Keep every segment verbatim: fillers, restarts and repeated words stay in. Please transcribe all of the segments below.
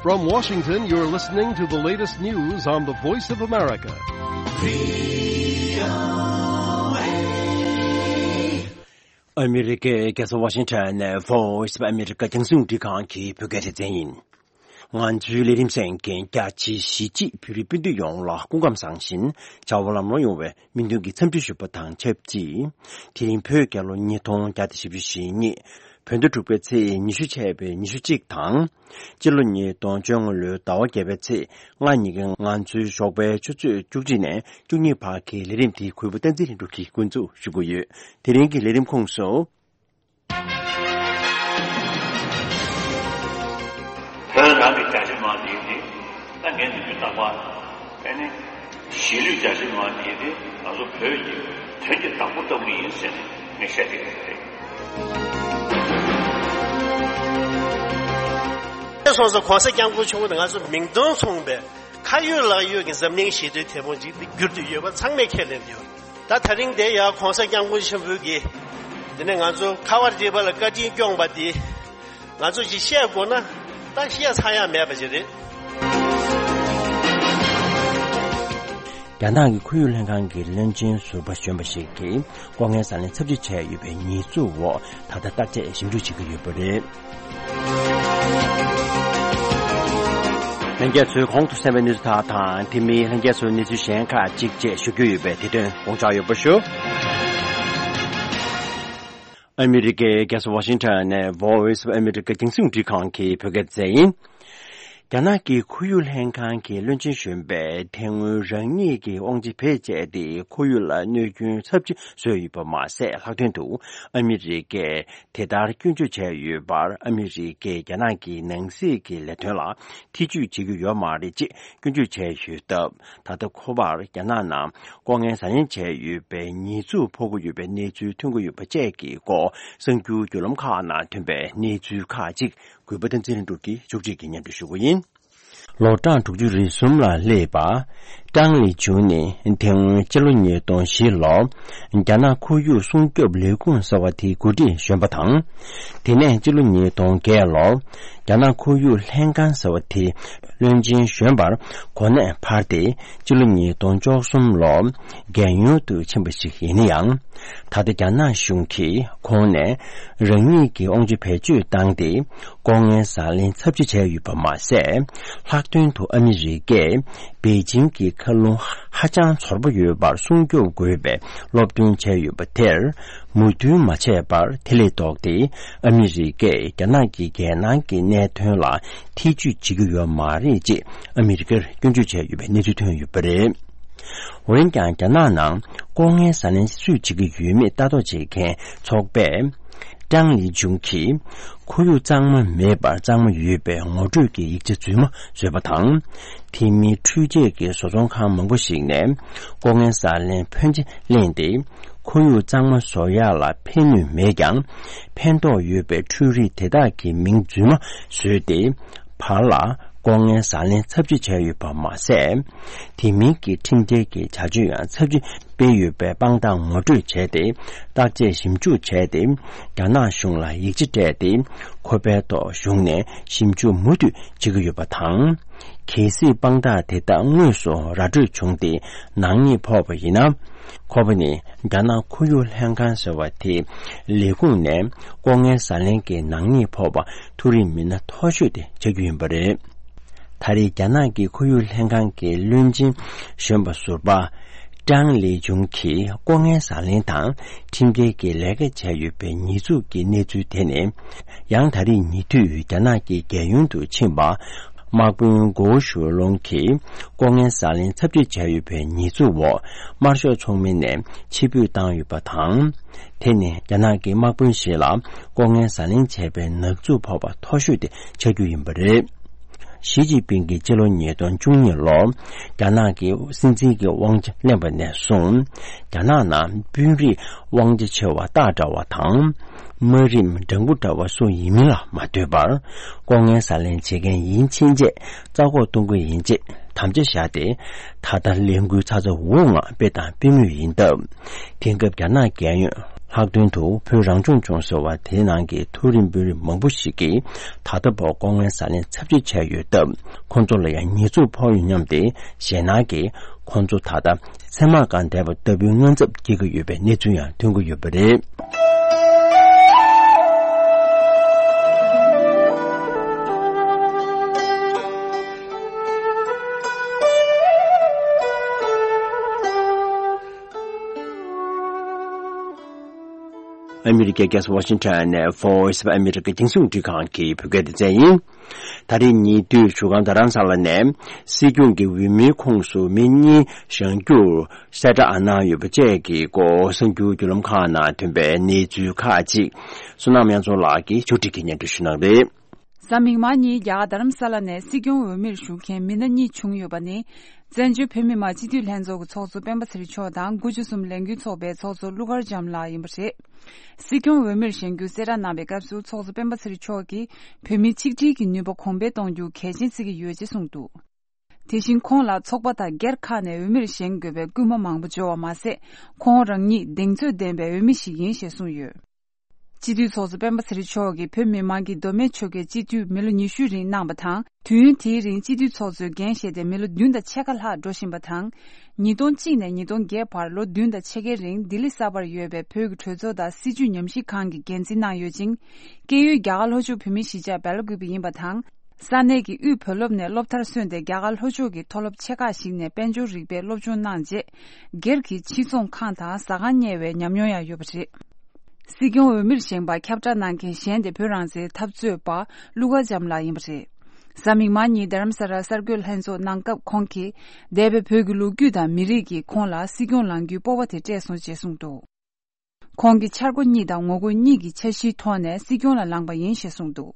From Washington, you're listening to the latest news on the Voice of America. ཨ་མི་རི་ཀའི་རྒྱལ་ས་ཝ་ཤིང་ཊོན་ནས་Voice of America རྒྱང་སྲིང་རླུང་འཕྲིན་ཁང་གི་བོད་སྐད་སྡེ་ཚན་ཡིན། ང་ཚོའི་ལས་རིམ་གསན་མཁན་རྒྱ་ཆེའི་གཞིས་བྱེས་བོད་རིགས་སྤུན་ཟླ་ཡོངས་ལ་སྐུ་ཁམས་བཟང་ཞིང་བྱ་བ་ལམ་ལྷོང་ཡོང་བའི་སྨོན་འདུན་གྱི་འཚམས་འདྲི་ཞུ་བ་དང་ཆབས་ཅིག་དེ་རིང་བོད་རྒྱལ་ལོ་ཉིས་སྟོང་བརྒྱ་དང་བཞི་བཅུ་ཞེ་གཉིས། བོད་ཟླ་དྲུག་པའི་ཚེས་ཉི་ཤུ་ཆད་པའི་ཉི་ཤུ་གཅིག་དང་། སྤྱི་ལོ་ཉིས་སྟོང་བཅོ་ལྔ་ལོའི་ཟླ་བ་བརྒྱད་པའི་ཚེས་ལྔ་ཉིན་གྱི་ང་ཚོའི་ཞོགས་པའི་ཆུ་ཚོད་བཅུ་གཅིག་ནས་བཅུ་གཉིས་བར་གྱི་ལས་རིམ་དེ་གུས་པ་བསྟན་འཛིན་ལྷུན་གྲུབ་ཀྱིས་འགོ་འཛུགས་ཞུ་གི་ཡོད། དེ་རིང་གི་ལས་རིམ་ཁོངས་སུ། བོད་རང་གི་རྒྱ་ཆེ་མང་དེ་དེ་ད་ངས་ནུས་རྒྱུ་བཏང་བ་ཨེ་ནི་གཞིས་ལུས་རྒྱ་ཆེ་མང་དེ་དེ་ང་ཚོ་བོད་ཀྱི་དོན་གྱི་བདག་པོ་ལྟ་བུ་ཡིན་ཟེར་ནས་ངས་བཤད་ཀྱི་ཡོད་རེད། སོང་ཙང་གོང་ས་སྐྱབས་མགོན་ཆེན་པོ་དེ་ང་ཚོ་མིང་དོན་མཚུངས་པའི་ཁ་ཡོད་ལག་ཡོད་ཀྱི་འཛམ་གླིང་ཞི་བདེའི་དེད་དཔོན་ཅིག་གྱུར་དུ་ཡོད་པ་ཚང་མས་ཁས་ལེན་ཡོད། ད་ད་རིང་དེ་ཡང་གོང་ས་སྐྱབས་མགོན་ཆེན་པོའི་གི་དེ་ནས་ང་ཚོ་ཁ་བ་རི་པ་ལ་བཀའ་དྲིན་སྐྱོང་བ་དེ་ང་ཚོ་ཅིག་བཤད་དགོས་ན་ད་བཤད་ཚར་ཡ་མེད་པ་ཅིག་རེད། རྒྱ་ནག་གི་ཁོར་ཡུག་ལྷན་ཁང་གི་བློན་ཆེན་ཟུར་པ་གཞོན་པ་ཞིག་གིས་ལྐོག་རྔན་ཟ་ལེན་ཚབས་ཆེ་བྱས་ཡོད་པའི་ཉེས་འཛུགས་འོག་ད་ལྟ་བརྟག་དཔྱད་ཞིབ་འཇུག་བྱེད་ཀྱི་ཡོད་པ་རེད། ལྷན་རྒྱས་ཚོས་གོང་དུ་གསན་པའི་གནས་ཚུལ་དག་དང་དེ་མིན་ལྷན་རྒྱས་ཚོས་གནས་ཚུལ་གཞན་ཁག་ཅིག་བཅས་ཞུ་རྒྱུ་ཡོད་པས་དེ་དོན་དགོངས་འཇགས་ཡོད་པ་ཞུ། ཨ་མི་རི་ཀའི་རྒྱལ་ས་ཝ་ཤིང་ཊོན་ནས་Voice of America རྒྱང་སྲིང་རླུང་འཕྲིན་ཁང་གི་བོད་སྐད་སྡེ་ཚན་ཡིན། རྒྱ་ནག་གི་ཁོར་ཡུག་ལྷན་ཁང་གི་བློན་ཆེན་གཞོན་པས་དེ་སྔོན་རང་ཉིད་ཀྱི་དབང་ཆ་བེད་སྤྱད་དེ་ཁོར་ཡུག་ལ་གནོད་སྐྱོན་ཚབས་ཆེ་བཟོས་ཡོད་པ་མ་ཟད། ལྷག་དོན་དུ་ཨ་མི་རི་ཀས་དེ་ལྟར་སྐྱོན་བརྗོད་བྱས་ཡོད་པར་ཨ་མི་རི་ཀས་རྒྱ་ནག་གི་ནང་སྲིད་ཀྱི་ལས་དོན་ལ་ཐེ་ཇུས་བྱེད་ཀྱི་ཡོད་མ་རེད་ཅེས་སྐྱོན་བརྗོད་བྱས་ཡོད་སྟབས། ད་ལྟ་ཁོ་པར་རྒྱ་ནག་ནང་ལྐོག་རྔན་ཟ་ལེན་བྱས་ཡོད་པའི་ཉེས་འཛུགས་ཕོག་གི་ཡོད་པའི་གནས་ཚུལ་ཐོན་གྱི་ཡོད་པ་བཅས་ཀྱི་སྐོར་གསར་འགྱུར་བརྒྱུད་ལམ་ཁག་ནང་ཐོན་པའི་གནས་ཚུལ་ཁག་ཅིག་གུས་པ་བསྟན་འཛིན་ལྷུན་གྲུབ་ཀྱིས་མཇུག་སྒྲིལ་གྱིས་སྙན་སྒྲོན་ཞུ་གི་ཡིན། ལོ་གྲངས་དྲུག་ཅུ་རེ་གསུམ་ལ་སླེབས་པ། ཀྲང་ལི་ཅུན་ནི་དེ་སྔོན་སྤྱི་ལོ་ཉིས་སྟོང་བཞི་ལོར་རྒྱ་ནག་ཁོར་ཡུག་སྲུང་སྐྱོབ་ལས་ཁུངས་ཟེར་བ་དེའི་འགོ་ཁྲིད་གཞོན་པ་དང་། དེ་ནས་སྤྱི་ལོ་ཉིས་སྟོང་བརྒྱད་ལོར་རྒྱ་ནག་ཁོར་ཡུག་ལྷན་ཁང་ཟེར་བ་དེའི་བློན་ཆེན་གཞོན་པར་གོ་གནས་འཕར་ཏེ་སྤྱི་ལོ་ཉིས་སྟོང་བཅུ་གསུམ་ལོར་རྒྱལ་ཡོངས་སུ་ཕྱིན་པ་ཞིག་ཡིན་ན་ཡང་། ད་ལྟ་རྒྱ་ནག་གཞུང་གིས་ཁོང་ནས་རང་ཉིད་ཀྱི་དབང་ཆ་བེད་སྤྱོད་བཏང་སྟེ། ལྐོག་རྔན་ཟ་ལེན་ཚབས་ཆེ་བྱས་ཡོད་པ་མ་ཟད། ལྷག་དོན་དུ་ཨ་མི་རི་ཀས་པེ་ཅིང་གི་མཁའ་རླུང་ཧ་ཅང་ཚོར་པོ་ཡོད་པར་སྲུང་སྐྱོབ་དགོས་པའི་སློབ་སྟོན་བྱས་ཡོད་པ་དེར་མོས་མཐུན་མ་བྱས་པར། དེ་ལས་ལྡོག་སྟེ་ཨ་མི་རི་ཀས་རྒྱ་ནག་གི་རྒྱལ་ནང་གི་གནད་དོན་ལ་ཐེ་ཇུས་བྱེད་ཀྱི་ཡོད་མ་རེད་ཅེས་ཨ་མི་རི་ཀར་སྐྱོན་བརྗོད་བྱས་ཡོད་པའི་གནས་ཚུལ་ཐོན་ཡོད་པ་རེད། འོན་ཀྱང་། རྒྱ་ནག་ནང་ལྐོག་རྔན་ཟ་ལེན་སུས་བྱེད་ཀྱི་ཡོད་མེད་ལྟ་རྟོག་བྱེད་མཁན་ཚོགས་པས། ཀྲང་ལི་ཅུན་གྱིས་ཁོར་ཡུག་གཙང་མ་མེད་པར་གཙང་མ་ཡོད་པའི་ངོ་སྤྲོད་ཀྱི་ཡིག་ཆ་རྫུན་མ་བཟོས་པ་དང་། དེ་མིན་འཕྲུལ་ཆས་ཀྱི་བཟོ་ཚོང་ཁང་མང་པོ་ཞིག་ནས་ལྐོག་རྔན་ཟ་ལེན་ཕོན་ཆེ་ལེན་ཏེ། ཁོར་ཡུག་གཙང་མ་བཟོ་ཡག་ལ་ཕན་ནུས་མེད་ཀྱང་། ཕན་ཐོགས་ཡོད་པའི་འཕྲུལ་རིགས་དེ་དག་གི་མིང་རྫུན་མ་བཟོས་ཏེ། བར་ལ་ལྐོག་རྔན་ཟ་ལེན་ཚབས་ཆེ་བྱས་ཡོད་པ་མ་ཟད། དེ་མིན་གྱི་ཁྲིམས་འགལ་གྱི་བྱ་སྤྱོད་ཡང་ཚབས་ཆེ་སྤེལ་ཡོད་པའི་དཔང་རྟགས་ངོ་སྤྲོད་བྱས་ཏེ། བརྟག་དཔྱད་ཞིབ་འཇུག་བྱས་ཏེ། རྒྱ་ནག་གཞུང་ལ་ཡིག་ཆ་སྤྲད་དེ། ཁོ་པའི་ཐོག་གཞུང་ནས་ཞིབ་འཇུག་མུ་མཐུད་བྱེད་ཀྱི་ཡོད་པ་དང་། གལ་སྲིད་དཔང་རྟགས་དེ་དག་དངོས་སུ་ར་སྤྲོད་བྱུང་སྟེ། ནག་ཉེས་ཕོག་པ་ཡིན་ན། ཁོ་པ་ནི་རྒྱ་ནག་ཁོར་ཡུག་ལྷན་ཁང་ཟེར་བ་དེའི་ལས་ཁུངས་ནས་ལྐོག་རྔན་ཟ་ལེན་གྱི་ནག་ཉེས་ཕོག་པ་མཐོ་རིམ་མི་སྣ་མཐོ་ཤོས་དེ་ཆགས་རྒྱུ་ཡིན་པ་རེད། ད་རེས་རྒྱ་ནག་གི་ཁོར་ཡུག་ལྷན་ཁང་གི་བློན་ཆེན་གཞོན་པ་ཟུར་པ། ཀྲང་ལི་ཅུན་གྱིས་ལྐོག་རྔན་ཟ་ལེན་དང་ཁྲིམས་འགལ་གྱི་ལས་ཀ་བྱས་ཡོད་པའི་ཉེས་འཛུགས་ཀྱི་གནས་ཚུལ་དེ་ནི། ཡང་ད་རེས་ཉེ་དུས་རྒྱ་ནག་གི་རྒྱལ་ཡོངས་སུ་ཕྱིན་པ། དམག་དཔོན་གོ་ཞུ་ལུང་གིས་ལྐོག་རྔན་ཟ་ལེན་ཚབས་ཆེ་བྱས་ཡོད་པའི་ཉེས་འཛུགས་འོག་དམར་ཤོག་ཚོགས་མི་ནས་ཕྱིར་འབུད་བཏང་ཡོད་པ་དང་། དེ་ནི་རྒྱ་ནག་གི་དམག་དཔོན་ཞིག་ལ་ལྐོག་རྔན་ཟ་ལེན་བྱས་པའི་ནག་འཛུགས་ཕོག་པ་མཐོ་ཤོས་དེ་ཆགས་རྒྱུ་ཡིན་པ་རེད། ཞི་ཅིན་ཕིང་གིས་སྤྱི་ལོ་ཉིས་སྟོང་བཅུ་གཉིས་ལོར་རྒྱ་ནག་གི་སྲིད་འཛིན་གྱི་དབང་ཆ་ལེན་པ་ནས་བཟུང་། རྒྱ་ནག་ནང་དཔོན་རིགས་དབང་ཆ་ཆེ་བ་སྟག་འདྲ་བ་དང་། དམའ་རིམ་སྦྲང་བུ་འདྲ་བ་སུ་ཡིན་མིན་ལ་མ་ལྟོས་པར། ལྐོག་རྔན་ཟ་ལེན་བྱེད་མཁན་ཡིན་ཕྱིན་ཆད་རྩ་འགོག་གཏོང་གི་ཡིན་ཅེས་ དམ་བཅའ་བཞག་སྟེ། ད་ལྟ་ལས་འགུལ་ཚ་ཚ་འུར་འུར་ངང་སྤེལ་དང་སྤེལ་མུས་ཡིན་སྟབས། དེང་སྐབས་རྒྱ་ནག་རྒྱལ་ཡོངས་ལྷག་དོན་དུ་བོད་རང་སྐྱོང་ལྗོངས་ཟེར་བ་དེའི་ནང་གི་མཐོ་རིམ་དཔོན་རིགས་མང་པོ་ཞིག་གིས་ད་ལྟ་བར་ལྐོག་རྔན་ཟ་ལེན་ཚབས་ཆེ་བྱས་ཡོད་སྟབས། ཁོང་ཚོ་ལ་ཡང་ཉེས་འཛུགས་ཕོག་ཡོད་སྙམ་སྟེ། ཞེད་སྣང་གིས་ཁོང་ཚོ་ད་ལྟ་སེམས་མ་དགའ་བསྡད་པ་ལྟ་བུའི་དངངས་འཚབ་སྐྱེ་གི་ཡོད་པའི་གནས་ཚུལ་ཡང་ཐོན་གྱི་ཡོད་པ་རེད། ཨ་མི་རི་ཀའི་རྒྱལ་ས་ཝ་ཤིང་ཊོན་ནས་Voice of America་རྒྱང་སྲིང་རླུང་འཕྲིན་ཁང་གི་བོད་སྐད་སྡེ་ཚན་ཡིན། ད་རེས་ཉེ་དུས་བཞུགས་སྒར་རྡ་རམ་ས་ལ་ནས་སྲིད་སྐྱོང་གི་འོས་མིའི་ཁོངས་སུ་མི་གཉིས་བཞེངས་རྒྱུར་གསལ་བསྒྲགས་གནང་ཡོད་པ་བཅས་ཀྱི་སྐོར་གསར་འགྱུར་བརྒྱུད་ལམ་ཁག་ནང་ཐོན་པའི་གནས་ཚུལ་ཁག་ཅིག་བསོད་ནམས་དབྱངས་འཛོམས་ལགས་ཀྱིས་ཕྱོགས་སྒྲིག་གིས་སྙན་སྒྲོན་ཞུ་གནང་གི་རེད། གཟའ་མིག་དམར་ཉིན་རྒྱ་གར་རྡ་རམ་ས་ལ་ནས་སྲིད་སྐྱོང་འོས་མིར་ཞུགས་མཁན་མི་སྣ་གཉིས་བྱུང་ཡོད་པ་ནི། བཙན་བྱོལ་བོད་མི་མང་སྤྱི་འཐུས་ལྷན་ཚོགས་ཀྱི་ཚོགས་གཙོ་སྤེན་པ་ཚེ་རིང་མཆོག་དང་དགུ་བཅུ་གསུམ་ལས་འགུལ་ཚོགས་པའི་ཚོགས་གཙོ་ཀླུ་མཁར་བྱམས་ལགས་ཡིན་པ་རེད། སྲིད་སྐྱོང་འོས་མིར་བཞེངས་རྒྱུ་གསལ་བསྒྲགས་གནང་བའི་སྐབས་སུ་ཚོགས་གཙོ་སྤེན་པ་ཚེ་རིང་མཆོག་གིས་བོད་མིའི་ཆིག་སྒྲིལ་གྱི་ནུས་པ་གོང་འཕེལ་གཏོང་རྒྱུ་གལ་ཆེན་བརྩི་གི་ཡོད་ཅེས་གསུངས་འདུག་དེ་བཞིན་ཁོང་ལ་ཚོགས་པ་དང་སྒེར་ཁག་ནས་འོས་མིར་བཞེངས་དགོས་པའི་སྐུལ་མ་མང་པོ་འབྱོར་བ་མ་ཟད། ཁོང་རང་ཉིད་གདེང་ཚོད་ལྡན་པའི་འོས་མི་ཞིག་ཡིན་ཞེས་གསུངས་ཡོད། སྤྱི་འཐུས་ཚོགས་གཙོ་སྤེན་པ་ཚེ་རིང་མཆོག་གིས་བོད་མི་མང་གི་མདོ་སྨད་ཆོལ་ཁའི་སྤྱི་འཐུས་མི་ལོ་ཉི་ཤུའི་རིང་གནང་བ་དང་། དུས་ཡུན་དེའི་རིང་སྤྱི་འཐུས་ཚོགས་གཙོའི་འགན་བཞེས་ཏེ་མི་ལོ་བདུན་དང་ཕྱེད་ཀ་ལྷག་འགྲོ་བཞིན་པ་དང་། ཉིས་སྟོང་གཅིག་ནས་ཉིས་སྟོང་བརྒྱད་བར་ལོ་བདུན་དང་ཕྱེད་ཀའི་རིང་ལྡི་ལི་གསར་པར་ཡོད་པའི་བོད་ཀྱི་གྲོས་ཚོགས་དང་སྲིད་བྱུས་ཉམས་ཞིབ་ཁང་གི་འགན་འཛིན་གནང་ཡོད་ཅིང་། སྐྱེས་ཡུལ་རྒྱ་གར་ལྷོ་ཕྱོགས་བོད་མིའི་གཞིས་ཆགས་སྦེལ་ཀོབ་ཡིན་པ་དང་། ས་གནས་ཀྱི་དབུས་བོད་སློབ་ནས་སློབ་མཐར་སོན་ཏེ་རྒྱ་གར་ལྷོ་ཕྱོགས་ཀྱི་མཐོ་སློབ་ཆེ་ཁག་ཞིག་ནས་དཔལ་འབྱོར་རིག་པའི་སློབ་སྦྱོང་གནང་རྗེས། སྒེར་གྱི་ཕྱི་ཚོང་ཁང་དང་ཟ་ཁང་གཉེར་བའི་ཉམས་མྱོང་ཡང་ཡོད་པ་རེད། སྲིད་སྐྱོང་འོས་མིར་བཞེངས་པར་ཁྱབ་བསྒྲགས་གནང་མཁན་གཞན་དེ་བོད་རང་བཙན་འཐབ་རྩོད་པ་ཀླུ་མཁར་བྱམས་ལགས་ཡིན་པ་རེད། གཟའ་མིག་དམར་ཉིན་རྡ་རམ་ས་ལར་གསར་འགོད་ལྷན་ཚོགས་གནང་སྐབས་ཁོང་གིས། འདས་པའི་བོད་ཀྱི་ལོ་རྒྱུས་དང་མི་རིགས་ཀྱིས་ཁོང་ལ་སྲིད་སྐྱོང་ལངས་རྒྱུའི་སྤོབས་པ་དེ་སྤྲད་སོང་ཅེས་གསུངས་འདུག་ཁོང་གིས་འཆར་སྒོ་གཉིས་དང་ངོ་རྒོལ་གཉིས་ཀྱི་འཆར་གཞིའི་ཐོག་ནས་སྲིད་སྐྱོང་ལ་ལངས་པ་ཡིན་ཞེས་གསུངས་འདུག་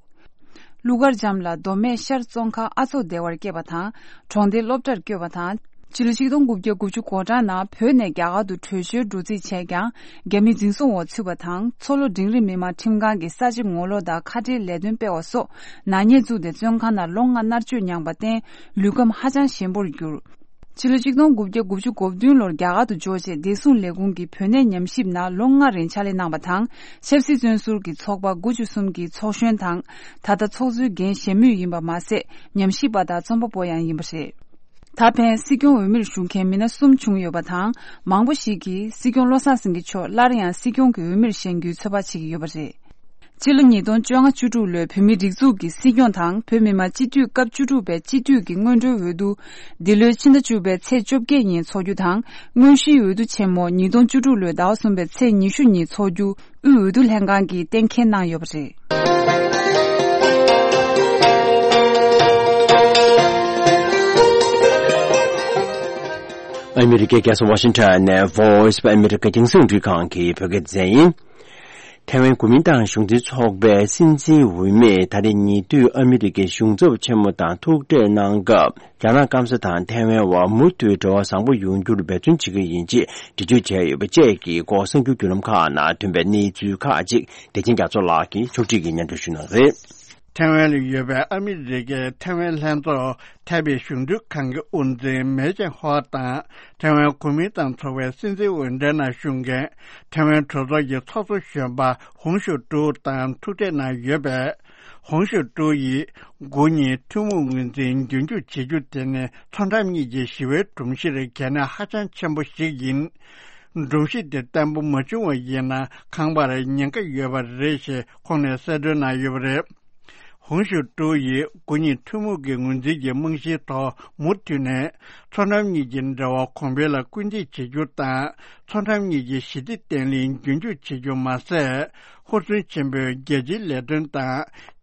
ཀླུ་མཁར་བྱམས་ལགས་མདོ་སྨད་ཤར་ཙོང་ཁ་ཨ་མཚོ་སྡེ་བར་སྐྱེས་པ་དང་། གྲོང་སྡེ་སློབ་གྲྭར་བསྐྱོད་པ་དང་། ཕྱི་ལོ་ཆིག་སྟོང་དགུ་བརྒྱ་དགུ་བཅུ་གོ་གྲངས་ནང་བོད་ནས་རྒྱ་གར་དུ་བྲོས་བྱོལ་འགྲོ་རྩིས་བྱས་ཀྱང་། རྒྱ་མིའི་འཛིན་བཟུང་འོག་ཚུད་པ་དང་། མཚོ་ལྷོ་འབྲིང་རིམ་མི་དམངས་ཁྲིམས་ཁང་གིས་ས་བྱི་ངོ་ལོག་དང་ཁ་བྲལ་ལས་དོན་སྤེལ་བ་སོགས་ནག་ཉེས་བཙུགས་ཏེ་བཙོན་ཁང་ནང་ལོ་ལྔ་མནར་གཅོད་མྱངས་པར་བརྟེན། ལུས་ཁམས་ཧ་ཅང་ཞན་པོར་གྱུར། ཕྱི་ལོ་ཆིག་སྟོང་དགུ་བརྒྱ་དགུ་བཅུ་གོ་བདུན་ལོར་རྒྱ་གར་དུ་འབྱོར་རྗེས་བདེ་སྲུང་ལས་ཁུངས་ཀྱི་བོད་གནས་ཉམས་ཞིབ་ནང་ལོ་ལྔ་རིང་ཕྱག་ལས་གནང་བ་དང་། ཆབ་སྲིད་བཙོན་ཟུར་གྱི་ཚོགས་པ་དགུ་བཅུ་གསུམ་གྱི་ཚོགས་གཞོན་དང་། ད་ལྟ་ཚོགས་གཙོའི་འགན་བཞེས་མུས་ཡིན་པ་མ་ཟད། ཉམས་ཞིབ་པ་དང་རྩོམ་པ་པོ་ཡང་ཡིན་པ་རེད། ད་ཕན་སྲིད་སྐྱོང་འོས་མིར་ཞུགས་མཁན་མི་སྣ་གསུམ་བྱུང་ཡོད་པ་དང་། མང་པོ་ཞིག་གིས་སྲིད་སྐྱོང་བློ་བཟང་སེང་གེ་མཆོག་སླར་ཡང་སྲིད་སྐྱོང་གི་འོས་མིར་བཞེངས་རྒྱུའི་ཚོད་དཔག་བྱེད་ཀྱི་ཡོད་པ་རེད། སྤྱི་ལོ་ཉིས་སྟོང་བཅོ་ལྔ་བཅུ་དྲུག་ལོའི་བོད་མིའི་སྒྲིག་འཛུགས་ཀྱི་སྲིད་སྐྱོང་དང་བོད་མི་མང་སྤྱི་འཐུས་སྐབས་བཅུ་དྲུག་པའི་སྤྱི་འཐུས་ཀྱི་སྔོན་འགྲོའི་འོས་བསྡུ། འདི་ལོའི་ཕྱི་ཟླ་བཅུ་པའི་ཚེས་བཅོ་བརྒྱད་ཉིན་འཚོགས་རྒྱུ་དང་། དངོས་གཞིའི་འོས་བསྡུ་ཆེན་མོ་ཉིས་སྟོང་བཅུ་དྲུག་ལོའི་ཟླ་བ་གསུམ་པའི་ཚེས་ཉི་ཤུ་ཉིན་འཚོགས་རྒྱུ་དབུས་འོས་བསྡུ་ལྷན་ཁང་གིས་གཏན་འཁེལ་གནང་ཡོད་པ་རེད། ཨ་མི་རི་ཀའི་རྒྱལ་ས་ཝ་ཤིང་ཊོན་ནས་Voice of America་རྒྱང་སྲིང་རླུང་འཕྲིན་ཁང་གི་བོད་སྐད་སྡེ་ཚན་ཡིན། ཐའེ་ཝན་གོ་མིན་ཏང་གཞུང་འཛིན་ཚོགས་པའི་སྲིད་འཛིན་འོས་མིས་ད་རེས་ཉེ་དུས་ཨ་མི་རི་ཀའི་གཞུང་ཚབ་ཆེན་མོ་དང་ཐུག་འཕྲད་གནང་སྐབས། རྒྱ་ནག་སྐམ་ས་དང་ཐའེ་ཝན་བར་མུ་མཐུད་འབྲེལ་བ་བཟང་པོ་ཡོང་རྒྱུར་འབད་བརྩོན་བྱེད་ཀྱི་ཡིན་ཅེས་འགྲེལ་བརྗོད་བྱས་ཡོད་པ་བཅས་ཀྱི་སྐོར་གསར་འགྱུར་བརྒྱུད་ལམ་ཁག་ནང་ཐོན་པའི་གནས་ཚུལ་ཁག་ཅིག་བདེ་ཆེན་རྒྱ་མཚོ་ལགས་ཀྱིས་ཕྱོགས་སྒྲིག་གིས་སྙན་སྒྲོན་ཞུ་གནང་གི་རེད། ཐའེ་ཝན་ལ་ཡོད་པའི་ཨ་མི་རི་ཀའི་ཐའེ་ཝན་ལྷན་ཚོགས་ཐའེ་པེ་གཞུང་འབྲེལ་ཁང་གི་དབུ་འཛིན་མེ་ཅན་ཧོ་དང་། ཐའེ་ཝན་གོ་མིན་ཏང་ཚོགས་པའི་སྲིད་འཛིན་འོས་འགྲན་ནང་ཞུགས་མཁན་ཐའེ་ཝན་གྲོས་ཚོགས་ཀྱི་ཚོགས་གཙོ་གཞོན་པ་ཧོང་ཞུ་ཀྲུའུ་དང་ཐུག་འཕྲད་གནང་ཡོད་པས། ཧོང་ཞུ་ཀྲུའུ་ཡིས་དགུ་གཉིས་ཐུན་མོང་ངོས་འཛིན་རྒྱུན་འཁྱོངས་བྱེད་རྒྱུ་དེ་ནི་མཚོ་འགྲམ་གཉིས་ཀྱི་ཞི་བའི་སྒྲོམ་གཞིར་གལ་གནད་ཧ་ཅང་ཆེན་པོ་ཞིག་ཡིན། སྒྲོམ་གཞི་དེ་བརྟན་པོ་མ་བྱུང་བ་ཡིན་ན་ཁང་པར་ཉེན་ཁ་ཡོད་པ་རེད་ཞེས་ཁོང་ནས་གསལ་སྟོན་གནང་ཡོད་པ་རེད། ཧོང་ཞུ་ཀྲུའུ་ཡིས་དགུ་གཉིས་ཐུན་མོང་གི་ངོས་འཛིན་གྱི་རྨང་གཞིའི་ཐོག་མུ་མཐུད་ནས་མཚོ་འགྲམ་གཉིས་ཀྱི་འབྲེལ་བ་གོང་འཕེལ་ལ་སྐུལ་འདེད་བྱེད་རྒྱུ་དང་། མཚོ་འགྲམ་གཉིས་ཀྱི་ཞི་བདེ་བརྟན་ལྷིང་རྒྱུན་འཁྱོངས་བྱེད་རྒྱུ་མ་ཟད། ཧུར་བརྩོན་ཆེན་པོས་རྒྱལ་སྤྱིའི་ལས་དོན་དང་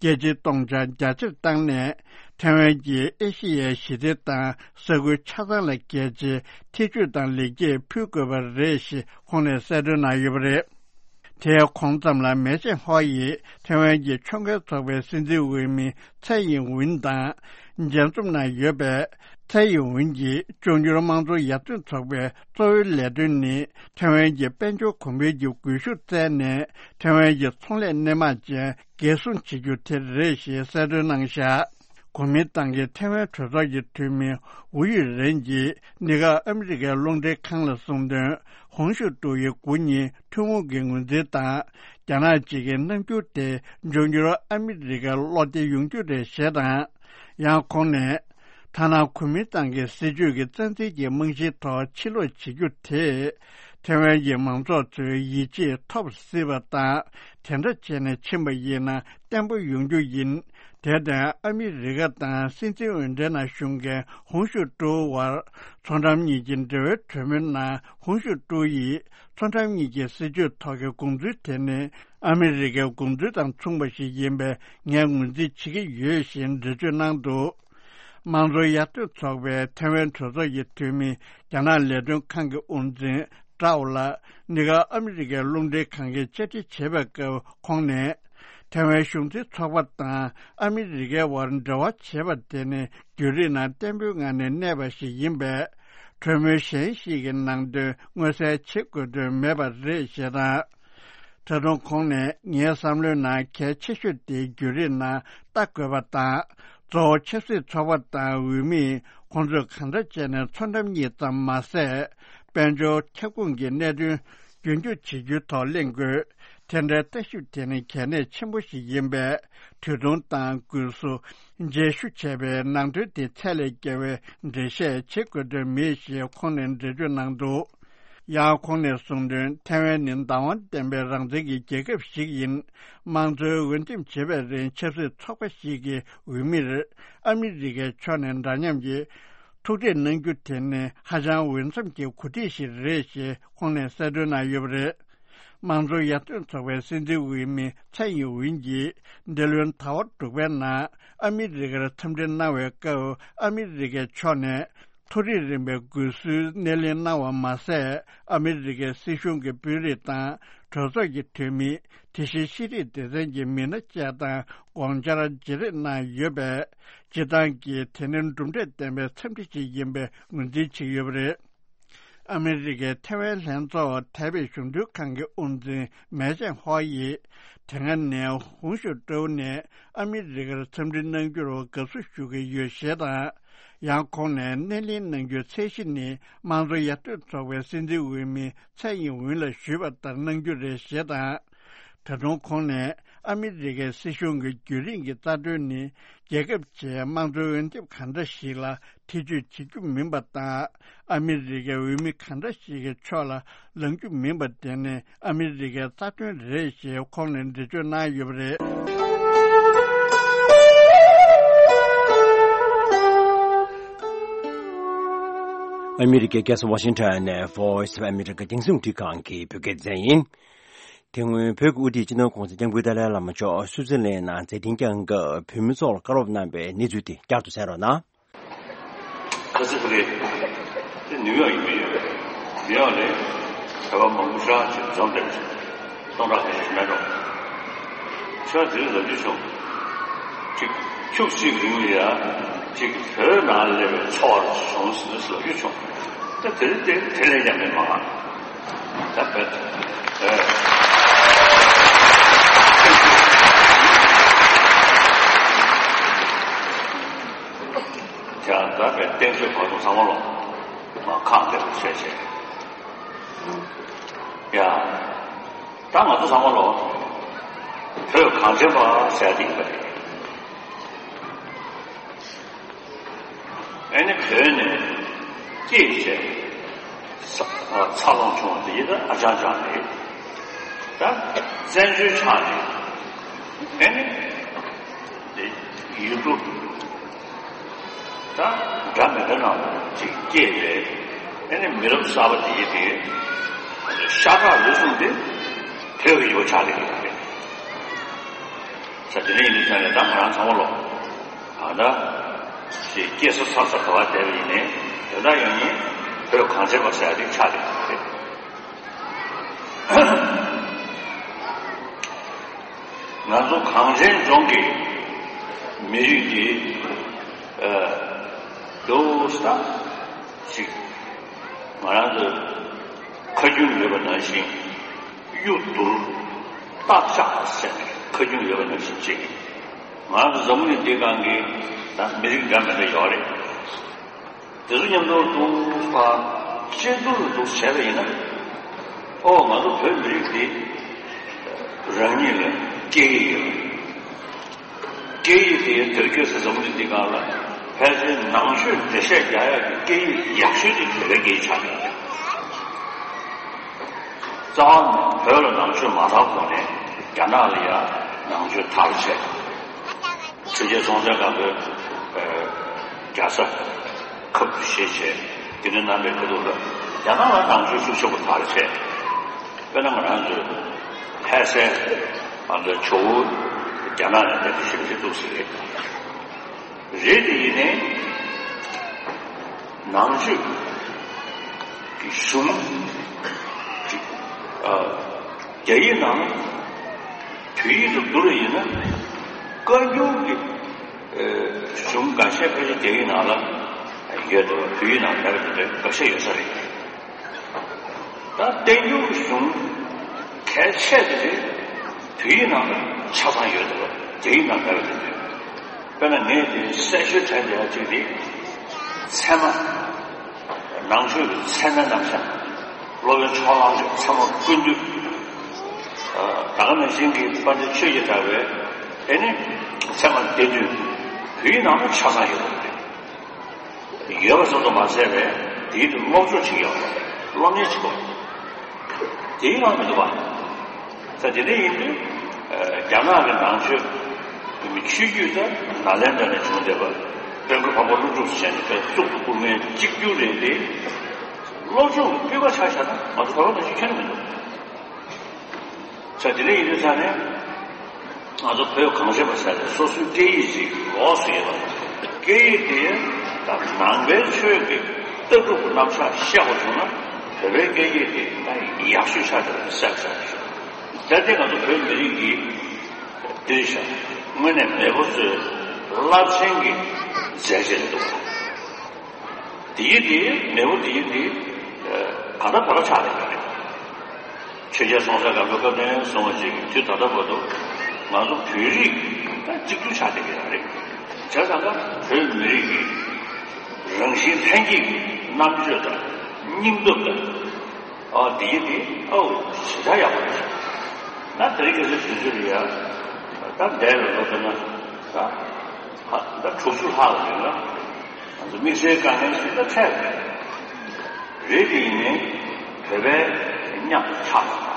རྒྱལ་སྤྱིའི་སྟོང་ཆ་རྒྱ་ཆེར་བཏང་ནས། ཐའེ་ཝན་གྱིས་ཨེ་ཤེ་ཡའི་ཞི་བདེ་དང་ས་ཁུལ་ཆ་ཚང་ལ་རྒྱལ་སྤྱིའི་ཐེ་བྱུས་དང་ལེགས་སྐྱེས་ཕུལ་དགོས་པ་རེད་ཞེས་ཁོང་ནས་གསལ་སྟོན་གནང་ཡོད་པ་རེད། དེའི་གོང་ཙམ་ལ་མེ་ཅན་ཧོ་ཡིས་ཐའེ་ཝན་གྱི་ཕྱོགས་འགལ་ཚོགས་པའི་སྲིད་འཛིན་འོས་མི་ཚའེ་ཡིན་ཝུན་དང་མཇལ་འཛོམས་གནང་ཡོད་པས། ཚའེ་ཡིན་ཝུན་གྱིས་འབྱུང་འགྱུར་དམངས་གཙོ་ཡར་ཐོན་ཚོགས་པའི་གཙོ་བོའི་ལས་དོན་ནི་ཐའེ་ཝན་གྱི་དཔལ་འབྱོར་གོང་འཕེལ་གྱི་སྒུལ་ཤུགས་བཙལ་ནས་ཐའེ་ཝན་གྱི་ཚོང་ལས་སྣེ་མང་ཅན་འགན་སྲུང་བྱེད་རྒྱུ་དེ་རེད་ཞེས་གསལ་སྟོན་གནང་བཞག་གོ་མིན་ཏང་གི་ཐའེ་ཝན་གྲོས་ཚོགས་ཀྱི་འཐུས་མི་ཝུའུ་ཡུས་རེན་གྱིས་གནས་སྐབས་ཨ་མི་རི་ཀའི་རླུང་འཕྲིན་ཁང་ལ་གསུངས་དོན། ཧུང་ཞུ་ཀྲུའུ་ཡི་སྐུ་ཉིད་ཐུན་མོང་གི་ངོས་འཛིན་དང་རྒྱ་ནག་གཅིག་གི་རྣམ་འགྱུར་དེ་འབྱུང་འགྱུར་ཨ་མི་རི་ཀར་བློ་བདེ་ཡོང་རྒྱུ་རེད་ཞེས་དང་། ཡང་ཁོང་ནས། ཐ་ན་གོ་མིན་ཏང་གི་སྲིད་ཇུས་ཀྱི་རྩ་འཛིན་གྱི་རྨང་གཞིའི་ཐོག་ཕྱིར་ལོག་བྱེད་རྒྱུ་དེས། ཐའེ་ཝན་གྱི་མང་ཚོགས་ཚོའི་ཡིད་ཆེས་ཐོབ་སྲིད་པ་དང་། དེ་འདྲ་བྱས་ནས་ཕྱིན་པ་ཡིན་ན་བརྟན་པོ་ཡོང་རྒྱུ་ཡིན། དེར་བརྟེན་ཨ་མི་རི་ཀ་དང་སྲིད་འཛིན་འོས་འཕྲན་ནང་ཞུགས་མཁན་ཧུང་ཞུ་ཀྲུའུ་བར་མཚོ་འགྲམ་གཉིས་ཀྱི་འབྲེལ་བའི་གྲོས་མོལ་ནང་ཧུང་ཞུ་ཀྲུའུ་ཡིས། མཚོ་འགྲམ་གཉིས་ཀྱི་སྲིད་ཇུས་ཐོག་གི་དགོངས་ཚུལ་དེ་ནི་ཨ་མི་རི་ཀའི་དགོངས་ཚུལ་དང་མཚུངས་པ་ཞིག་ཡིན་པས་ངས་ངོས་འཛིན་བྱེད་ཀྱི་ཡོད་ཞེས་འགྲེལ་བརྗོད་གནང་འདུག། དམངས་གཙོ་ཡར་ཐོན་ཚོགས་པའི་ཐའེ་ཝན་གྲོས་ཚོགས་ཀྱི་འཐུས་མི་རྒྱ་ནག་ལས་དོན་ཁང་གི་དབུ་འཛིན་ཀྲའོ་ལ་གནས་སྐབས་ཨ་མི་རི་ཀའི་རླུང་འཕྲིན་ཁང་གིས་བཅར་འདྲི་བྱས་པའི་སྐབས་ཁོང་ནས། ཐའེ་ཝན་གཞུང་འཛིན་ཚོགས་པ་དང་ཨ་མི་རི་ཀའི་དབར་འབྲེལ་བ་བྱས་པ་དེ་ནི་བརྒྱུད་རིམ་ནང་བརྟན་པོའི་ངང་ནས་གནས་པ་ཞིག་ཡིན་པས། གྲོས་མོལ་གཞན་ཞིག་གི་ནང་དོན་མངོན་གསལ་བྱེད་དགོས་དོན་མེད་པ་རེད་ཞེས་དང་། ད་དུང་ཁོང་ནས་ངའི་བསམ་བློའི་ནང་གལ་ཆེ་ཤོས་དེ་བརྒྱུད་རིམ་ནང་ལྟ་དགོས་པ་དང་། གཙོ་བོ་ཆབ་སྲིད་ཚོགས་པ་དང་འོས་མིས་ཁོང་ཚོས་གང་འདྲ་བྱས་ནས་མཚོ་འགྲམ་གཉིས་ཙམ་མ་ཟད། དཔལ་འབྱོར་ཁྱབ་ཁོངས་ཀྱི་གནད་དོན་རྒྱུན་འཁྱོངས་བྱེད་རྒྱུའི་ཐོག་གླེང་དགོས། དེ་འདྲའི་ལྟ་ཞིབ་དེ་ནི་གལ་གནད་ཆེན་པོ་ཞིག་ཡིན་པས། དུས་ཐུང་དང་སྒུལ་ཤུགས་རྗེས་ཤུལ་བྱས་པའི་ནང་དོན་དེ་ཚད་ལས་བརྒལ་བའི་འགྲེལ་བཤད་བྱེད་དགོས་དོན་མེད་ཞེས་ཁོང་ནས་འགྲེལ་བརྗོད་གནང་འདུག། ཡང་ཁོང་ནས་གསུངས་དོན། ཐའེ་ཝན་ནི་བདག་དབང་ལྡན་པའི་རང་བཙན་གྱི་རྒྱལ་ཁབ་ཞིག་ཡིན། དམངས་གཙོའི་འོས་འདེམས་བྱེད་པའི་རིང་ཆབ་སྲིད་ཚོགས་པ་ཞིག་གི་འོས་མིར་ཨ་མི་རི་ཀའི་ཕྱོགས་ནས་འདྲ་མཉམ་གྱི་ཐུག་འཕྲད་གནང་རྒྱུ་དེ་ནི་ཧ་ཅང་འོས་འཚམ་གྱི་གོ་སྒྲིག་ཞིག་རེད་ཞེས་ཁོང་ནས་གསལ་སྟོན་གནང་ཡོད་པ་རེད། དམངས་གཙོ་ཡར་ཐོན་ཚོགས་པའི་སྲིད་འཛིན་འོས་མི་ཚའེ་ཡིན་ཝུན་གྱིས་འདི་ལོའི་ཟླ་བ་དྲུག་པའི་ནང་ཨ་མི་རི་ཀར་འཚམས་འདྲི་གནང་བའི་སྐབས་ཨ་མི་རི་ཀའི་ཕྱོགས་ནས། མཐོ་རིམ་རིམ་པའི་སྒུལ་ཤུགས་སྣེ་ལེན་གནང་བ་མ་ཟད། ཨ་མི་རི་ཀའི་སྲིད་གཞུང་གི་དཔོན་རིགས་དང་གྲོས་ཚོགས་ཀྱི་འཐུས་མི། དེ་བཞིན་ཤེས་རིག་སྡེ་ཚན་གྱི་མི་སྣ་བཅས་དང་དགོངས་འཆར་བརྗེ་རེས་གནང་ཡོད་པས། སྤྱིར་བཏང་གི་དེ་ནི་གྲུབ་འབྲས་ལྡན་པའི་འཚམས་འདྲི་ཞིག་ཡིན་པའི་ངོས་འཛིན་བྱེད་ཀྱི་ཡོད་པ་རེད། ཨ་མི་རི་ཀའི་ཐའེ་ཝན་ལྷན་ཚོགས་ཐའེ་པེ་གཞུང་དོན་ཁང་གི་དབུ་འཛིན་མེ་ཅན་ཧོ་ཡིས། དེ་སྔ་ནས་ཧུང་ཞུ་ཀྲོའུ་ནས་ཨ་མི་རི་ཀར་འཚམས་འདྲི་གནང་རྒྱུར་དགའ་བསུ་ཞུ་གི་ཡོད་ཞེས་དང་། ཡང་ཁོང་ནས་སྣེ་ལེན་གནང་རྒྱུའི་ཚད་གཞི་ནི་དམངས་གཙོ་ཡར་ཐོན་ཚོགས་པའི་སྲིད་འཛིན་འོས་མི་ཚའེ་ཡིན་ཝུན་ལ་ཞུས་པ་ལྟར་གནང་རྒྱུ་རེད་ཞེས་དང་། ད་དུང་ཁོང་ནས་ཨ་མི་རི་ཀའི་སྲིད་གཞུང་གི་བརྒྱུད་རིམ་གྱི་རྩ་དོན་ནི་རྒྱལ་ཁབ་ཆེའི་དམངས་གཙོའི་འོས་འདེམས་གང་འདྲ་ཞིག་ལ་ཐེ་བྱུས་བྱེད་རྒྱུ་མིན་པ་དང་། ཨ་མི་རི་ཀའི་འོས་མི་གང་འདྲ་ཞིག་གི་ཕྱོགས་ལ་ལངས་རྒྱུ་མིན་པ་དེ་ནི་ཨ་མི་རི་ཀའི་རྩ་དོན་རེད་ཞེས་ཁོང་ནས་འགྲེལ་བརྗོད་གནང་ཡོད་པ་རེད། ཨ་མི་རི་ཀའི་རྒྱལ་ས་ཝ་ཤིང་ཊོན་ནས་Voice of America་རྒྱང་སྲིང་རླུང་འཕྲིན་ཁང་གི་བོད་སྐད་སྡེ་ཚན་ཡིན། དེ་སྔོན་བོད་ཀྱི་དབུ་ཁྲིད་སྤྱི་ནོར་༸གོང་ས་༸སྐྱབས་མགོན་ཏཱ་ལའི་བླ་མ་མཆོག་སུའུ་ཙི་ལན་ནང་མཛད་འཕྲིན་བསྐྱངས་སྐབས་བོད་མི་ཚོར་བཀའ་སློབ་གནང་བའི་གནས་ཚུལ་དེ་བསྐྱར་དུ་གསན་རོགས་གནང་། ཁ་སང་ཕ་གི་དེ་ནིའུ་ཡོག་ཡིན་པས་ཡོད། ནིའུ་ཡོག་ནས་བོད་པ་མང་པོ་ཤོག་ཅིག་འཛོམས་བསྡད་པ་ཞིག་སྟོང་ཕྲག་ཁ་ཤས་ཤིག་མེད་འགྲོ། ཁྱོད་དེ་རིང་ལབ་རྒྱུ་བྱུང་། ཅིག་ཁྱུག་ཅིག་རིང་ལ་ཡ་ཅིག་བོད་ནང་སླེབས་པའི་ཚོར་བ་བྱུང་ཟིན་ལབ་རྒྱུ་བྱུང་། ད་དེ་རིང་དེ་དེ་ལས་ཀྱང་མེད་མ། ད་བོད་ཨེ། ཀྱང་ད་བས་བསྟན་སྲོལ་བར་དུ་ཚང་མ་ལོ་མ་ཁག་འདེབས་བྱས་བྱས། ཡ། ད་ང་ཚོ་ཚང་མ་ལོ་བོད་གངས་ཅན་པ་ཟེར་ཡ་དེ་ཡིན་པ་རེད། ཨེ་ནི་བོད་ནས་སྐྱེས་བྱས་ས་འཚར་ལོངས་བྱུང་བ་དེ་ཡིན་ད་ཨ་ཅང་ཅང་རེད། ད་བཙན་བྱོལ་ཆགས་ནས་ཨེ་ནི་དེ་ཡུལ་གྲུ་ད་འདྲ་མི་འདྲ་ནང་ཅིག་སྐྱེས་པའི་ཨེ་ནི་མི་རབས་གསར་པ་དེ་ཡིན་དེ་ཤ་ཁྲག་ལུས་ཟུངས་དེ་བོད་ཀྱི་ཡོ་ཆགས་ལས་ཀྱི་རེད། ས་དེ་འདྲ་ཡིན་དུས་ཙང་ནས་ད་ང་རང་ཚང་མ་ལོ། ཨ་ད། ཞེས་སྐྱེས་ས་འཚར་ས་ག་བ་བསྡད་པ་ཡིན་ནའི་དོན་དག་ཡང་ཡིན་བོད་གངས་ཅན་པ་ཟེར་ཡ་དེ་ཆགས་ཀྱི་རེད། ང་ཚོ་གངས་ཅན་ལྗོངས་ཀྱི་མི་རིགས་ཀྱི་ཨ་འདུག་ས་ཞིག་ང་རང་ཚོ་ཁ་རྒྱུན་ཡོད་པ་ནང་བཞིན་གཡུ་དུར་སྟག་ལྕགས་ཟེར་ནས་ཁ་རྒྱུན་ཡོད་པ་ནང་བཞིན་ཅིག་ང་ཚོ་འཛམ་བུ་གླིང་འདིའི་སྒང་གི་ད་མི་རིགས་འདྲ་མི་འདྲ་ཡོད་རེད། དེ་ཚོ་མཉམ་དུ་འདུག་པ་གཅིག་སྡུད་དུ་འདུག་བྱས་པ་ཡིན་ན། ཨོ་ང་ཚོ་བོད་མི་རིགས་འདི་རང་ཉིད་ལ་སྐད་ཡིག་ཡོད། སྐད་ཡིག་དེ་དེར་སྐྱེས་སུ་འཛམ་བུ་གླིང་འདི་སྒང་ལ་ཕལ་ཆེར་ནང་ཆོས་འགྲེལ་བཤད་རྒྱག་ཡག་གི་སྐད་ཡིག་ཡག་ཤོས་དེ་བོད་པའི་སྐད་ཡིག་ཆགས་ཡོད། རྩ་བ་ནས་བོད་ལ་ནང་ཆོས་མ་དར་གོང་ནས་རྒྱ་ནག་ལ་ཡང་ནང་ཆོས་དར་བྱས། ཆོས་རྒྱལ་སྲོང་བཙན་སྒམ་པོས་རྒྱལ་ས་ཁབ་ཏུ་བཞེས་བྱས་དགེ་འདུན་རྣམ་པའི་ཁ་ཐུག་ལ་རྒྱ་ནག་ལ་ནང་ཆོས་ཤུགས་ཆེན་པོ་དར་བྱས། དཔེར་ན་ང་རང་ཚོའི་ལྷ་སའི་ང་ཚོའི་ཇོ་བོ་རྒྱ་ནག་ནས་དེ་ཞིབ་འཇུག་ཐུབ་ཟིན་རེད། རེད་དེ་ཡིན་ནའི་ནང་ཆོས་ཀྱི་གཞུང་ཨ་རྒྱ་ཡིག་ནང་བོད་ཡིག་ཏུ་བསྒྱུར་བ་ཡིན་ན་བཀའ་འགྱུར་གྱི་ཨ་གཞུང་འགའ་ཤས་ཕལ་ཆེར་རྒྱ་ཡིག་ནང་ལ་ཡོད་དེ་བོད་ཡིག་ནང་མེད་པ་དེ་འདྲ་འགའ་ཤས་ཡོད་ས་རེད། ད་བསྟན་འགྱུར་གཞུང་གལ་ཆེ་དེ་རེད། བོད་ཡིག་ནང་ཆ་ཚང་ཡོད་དེ་རྒྱ་ཡིག་ནང་མེད་པ་དེ་འདྲ། དཔེར་ན་ངས་དེ་གསལ་ཤོས་དྲན་བསྡད་ཡག་གཅིག་དེ་ཚད་མ། ནང་ཆོས་ཀྱི་ཚད་མའི་རྣམ་གཞག་སློབ་དཔོན་ཕྱོགས་གླང་གི་ཚད་མ་ཀུན་བཏུས། ད་ག་ནང་བཞིན་གྱི་དཔལ་ལྡན་ཆོས་ཀྱི་གྲགས་པའི་དེ་ནི་ཚད་མ་སྡེ་བདུན་བོད་ཡིག་ནང་དུ་ཆ་ཚང་ཡོད་པ་རེད། ཡོད་པ་ཙམ་དུ་མ་ཟད་པའི་དེའི་དུ་སློབ་སྦྱོང་བྱེད་ཡོད་པ་རེད། སློབ་གཉེར་བྱེད་དགོས། དེའི་ནང་མི་འདུག་པ། ད་དེ་འདྲ་ཡིན་དུས་རྒྱ་ནག་གི་ནང་ཆོས་ཆོས་བརྒྱུད་དེ་ནཱ་ལེནྡྲ་ནས་བྱུང་བསྡད་པ་དཔལ་མགོན་འཕགས་པ་ཀླུ་སྒྲུབ་ཟེར་ནས་དཔེ་གཙུག་ཏུ་བཀུར་མཁན་གཅིག་གྱུར་རེད་དེ། སློབ་སྦྱོང་གི་སྤུས་ཀ་ཆ་བཞག་ན་ང་ཚོ་བོད་པ་ནང་བཞིན་ཁྱོན་ནས་མི་འདུག་ས་དེ་འདྲ་ཡིན་དུས་ས་ནས་ང་ཚོ་བོད་གངས་ཅན་པ་ཟེར་ནས་སོ་སོའི་སྐད་ཡིག་ཅིག་ལོགས་སུ་ཡོད་པ། སྐད་ཡིག་དེ་ད་ནང་པའི་ཆོས་ཀྱི་ལྟ་གྲུབ་ཀྱི་རྣམ་གཞག་བཤད་དགོས་བྱུང་ན་བོད་པའི་སྐད་ཡིག་དེ་ད་ཡག་ཤོས་ཆགས་བསྡད་པ་གསལ་པོ་ཆགས་ཀྱི་ཡོད། ད་དེ་ང་ཚོ་བོད་མི་རིགས་ཀྱི་འདིར་བཞག་དངོས་གནས་མེས་པོ་ཚོའི་རླབས་ཆེན་གྱི་མཛད་རྗེས་རེད་འདུག་དེའི་དེ་མེས་པོ་དེའི་དེ་ག་ད་བོད་ལ་ཆགས་བསྡད་ཡོད་རེད། ཆོས་རྒྱལ་སྲོང་བཙན་སྒམ་པོའི་སྐབས་དང་སོང་བ་ཅིག་དུས་ད་ལྟ་བར་དུ་ང་ཚོ་བོད་རིགས་ད་གཅིག་གྱུར་ཆགས་བསྡད་ཀྱི་ཡོད་རེད། བྱས་ཙང་ཀ་བོད་མི་རིགས་ཀྱི་རང་བཞིན་ལྷན་སྐྱེས་ཀྱི་རྣམ་དཔྱོད་དང་སྙིང་སྟོབས་དང་། ཨ་དེའི་དེ་ཨོ་ཞེ་དྲག་ཡག་པོ་རེད། ད་དེ་རིང་ཁ་སང་དུས་ཚོད་ལ་ཡ་ད་འདས་པའི་ལོ་ལྟར་ན་ད་ཧ་ད་དྲུག་ཅུ་ལྷག་ལ་ཡོད་ན། ང་ཚོ་དམིགས་བསལ་དཀའ་ངལ་ཞིག་ད་འཕྲད་རེད། རེད་དེ་ཡིན་ནའི་བོད་པའི་མཉམ་དུ་ཆགས་པ་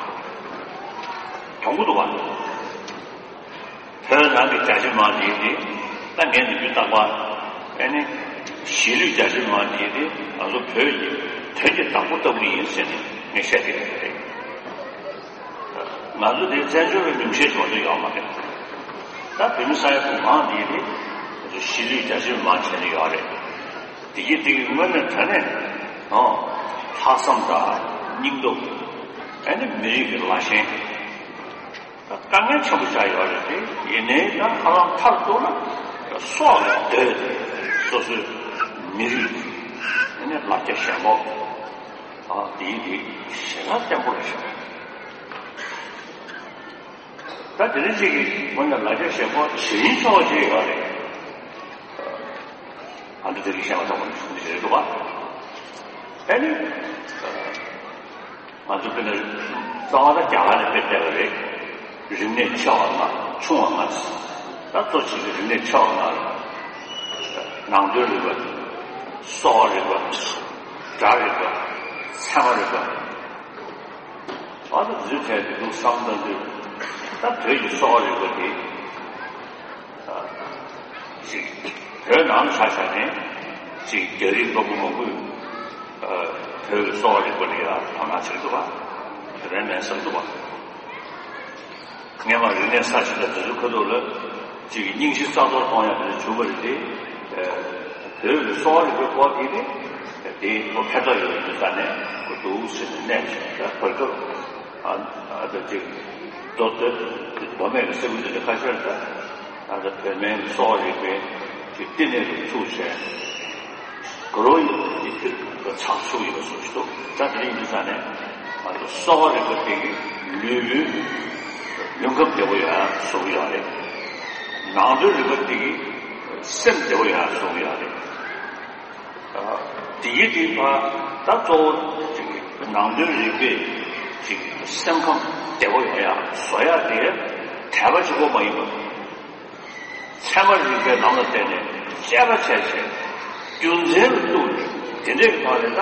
དང་པོ་འདུག་བ། བོད་ནང་གི་རྒྱ་ཆེ་མང་དེ་དེ་ད་ངས་ནི་རྒྱུ་བཏགས་པ་ཨེ་ནི་གཞིས་ལུས་རྒྱ་ཆེ་མང་དེ་དེ་ང་ཚོ་བོད་ཀྱི་དོན་གྱི་བདག་པོ་ལྟ་བུ་ཡིན་ཟེར་ནས་ངས་བཤད་ཀྱི་ཡོད་རེད། ང་ཚོ་དེ་བཙན་བྱོལ་བའི་ཉུང་ཤས་ཤིག་མ་གཏོགས་ཡོད་མ་རེད། ད་བོད་མི་ས་ཡ་དྲུག་མང་དེ་དེ་ང་ཚོ་གཞིས་ལུས་རྒྱ་ཆེ་མང་བྱས་ནས་ཡོད་རེད། དེ་གི་དེ་གི་དངོས་གནས་དྲང་གནས་ཨོ་ལྷག་བསམ་དང་སྙིང་སྟོབས་ཨེ་ནི་མི་རིགས་ཀྱི་ལ་ཞེན། དཀའ་ངལ་ཆེན་པོ་ཆགས་ཡོད་རེད་དེ། ཡིན་ནའི་ད་ཧ་ལམ་མཐར་གཏུགས་ན་སྲོག་ལ་བསྡོས་ཏེ་སོ་སོའི་མི་རིགས་ཡིན་ནའི་ལ་རྒྱ་ཞེན་ཁོག་ཨ་དེའི་དེ་ཞེ་དྲག་བརྟན་པོ་རེད་ཤག་ད་དེ་རིང་ཅིག་གི་ངོ་ནས་ལ་རྒྱ་ཞེན་ཁོག་ཇི་ཡིན་ཆོག་ཅིག་ཡོད་རེད། ཨ་འདི་དེ་རིང་བཤད་པ་ཐོག་མ་ནས་གསུང་གི་རེད་འདུག་པ། ཨ་ནི། ང་ཚོ་དཔེར་ན་རྩ་བ་ད་རྒྱ་གར་ནས་དཔེ་བལྟས་པ་རེད། རིག་གནས་ཆེ་བ་ལྔ་ཆུང་བ་ལྔ་ཟེར། ད་གཙོ་ཆེ་ཤོས་རིག་གནས་ཆེ་བ་ལྔ་རེད། ནང་དོན་རིག་པ། གསོ་བ་རིག་པ། སྒྲ་རིག་པ། ཚད་མ་རིག་པ། ཨ་ད་འཛུལ་ཐལ་དུ་འདུག་བསམ་ད་འདུག་ད་བོད་ཀྱི་གསོ་བ་རིག་པ་དེ། ཅིག་བོད་ནང་ཆ་བཞག་ནས་ཅིག་རྒྱ་རིགས་པ་མང་པོས་བོད་ཀྱི་གསོ་བ་རིག་པ་ལ་ཡང་དོ་སྣང་བྱེད་ཀྱི་འདུག་པ། དེ་རིང་ནས་བསམ་འདུག་པ། སྔས་མ་རིག་གནས་གསར་བརྗེ་དང་དེ་ཚོའི་ཁ་ཐུག་ལ་ཅིག་རྙིང་ཞེན་རྩ་གཏོར་གཏོང་ཡག་དེ་བྱུང་བ་རེད་དེ། བོད་ཀྱི་གསོ་བ་རིག་པའི་སྐོར་དེ་ནི་དེ་ཁོ་ཕན་ཐོགས་ཡོད་པའི་ས་ནས་ཁོ་འདུག་ཟེར་ནས་གནས་ཤིང་ད་བར་སྐབས་ཨ་ཨ་ད་ཅིག་མདོ་སྟོད་མདོ་སྨད་ཀྱི་ས་ཁུལ་དེ་ལ་ཁ་ཤས་ལ་ད་ཨ་ད་བོད་སྨན་གསོ་བ་རིག་པའི་ཅིག་བསྟི་གནས་རུ་ཚུགས་བྱས། དགུ་ལོ་ཡི་དེ་ཚོ་ཚགས་ཚུད་ཡོད་པ་བཟོ་ཞིག་འདུག་ད་དེ་རིང་འདི་ས་ནས་ང་ཚོ་གསོ་བ་རིག་པ་དེ་གི་ལུས་པོའི་ལུས་ཁམས་བདེ་པོ་ཡོང་ཡག་བཟོ་གི་ཡོད་རེད། ནང་དོན་རིག་པ་དེ་གིས་སེམས་བདེ་བོ་ཡོང་བཟོ་གི་ཡོད་རེད། དེ་གི་དེ་ཕར་ད་གཙོ་བོ་ཅིག་ནང་དོན་རིག་པས་ཅིག་སེམས་ཁམས་བདེ་བོ་ཡོང་ཡ་བཟོ་ཡ་དེ་དད་པ་གཅིག་པོ་མ་ཡིན་པ། ཚད་མ་རིག་པའི་ལམ་ལ་བརྟེན་ནས་དཔྱད་པ་བྱས་བྱས་རྒྱུ་མཚན་ལ་གཏུགས་ནས་དེ་འདྲའི་ཐོག་ནས་ད་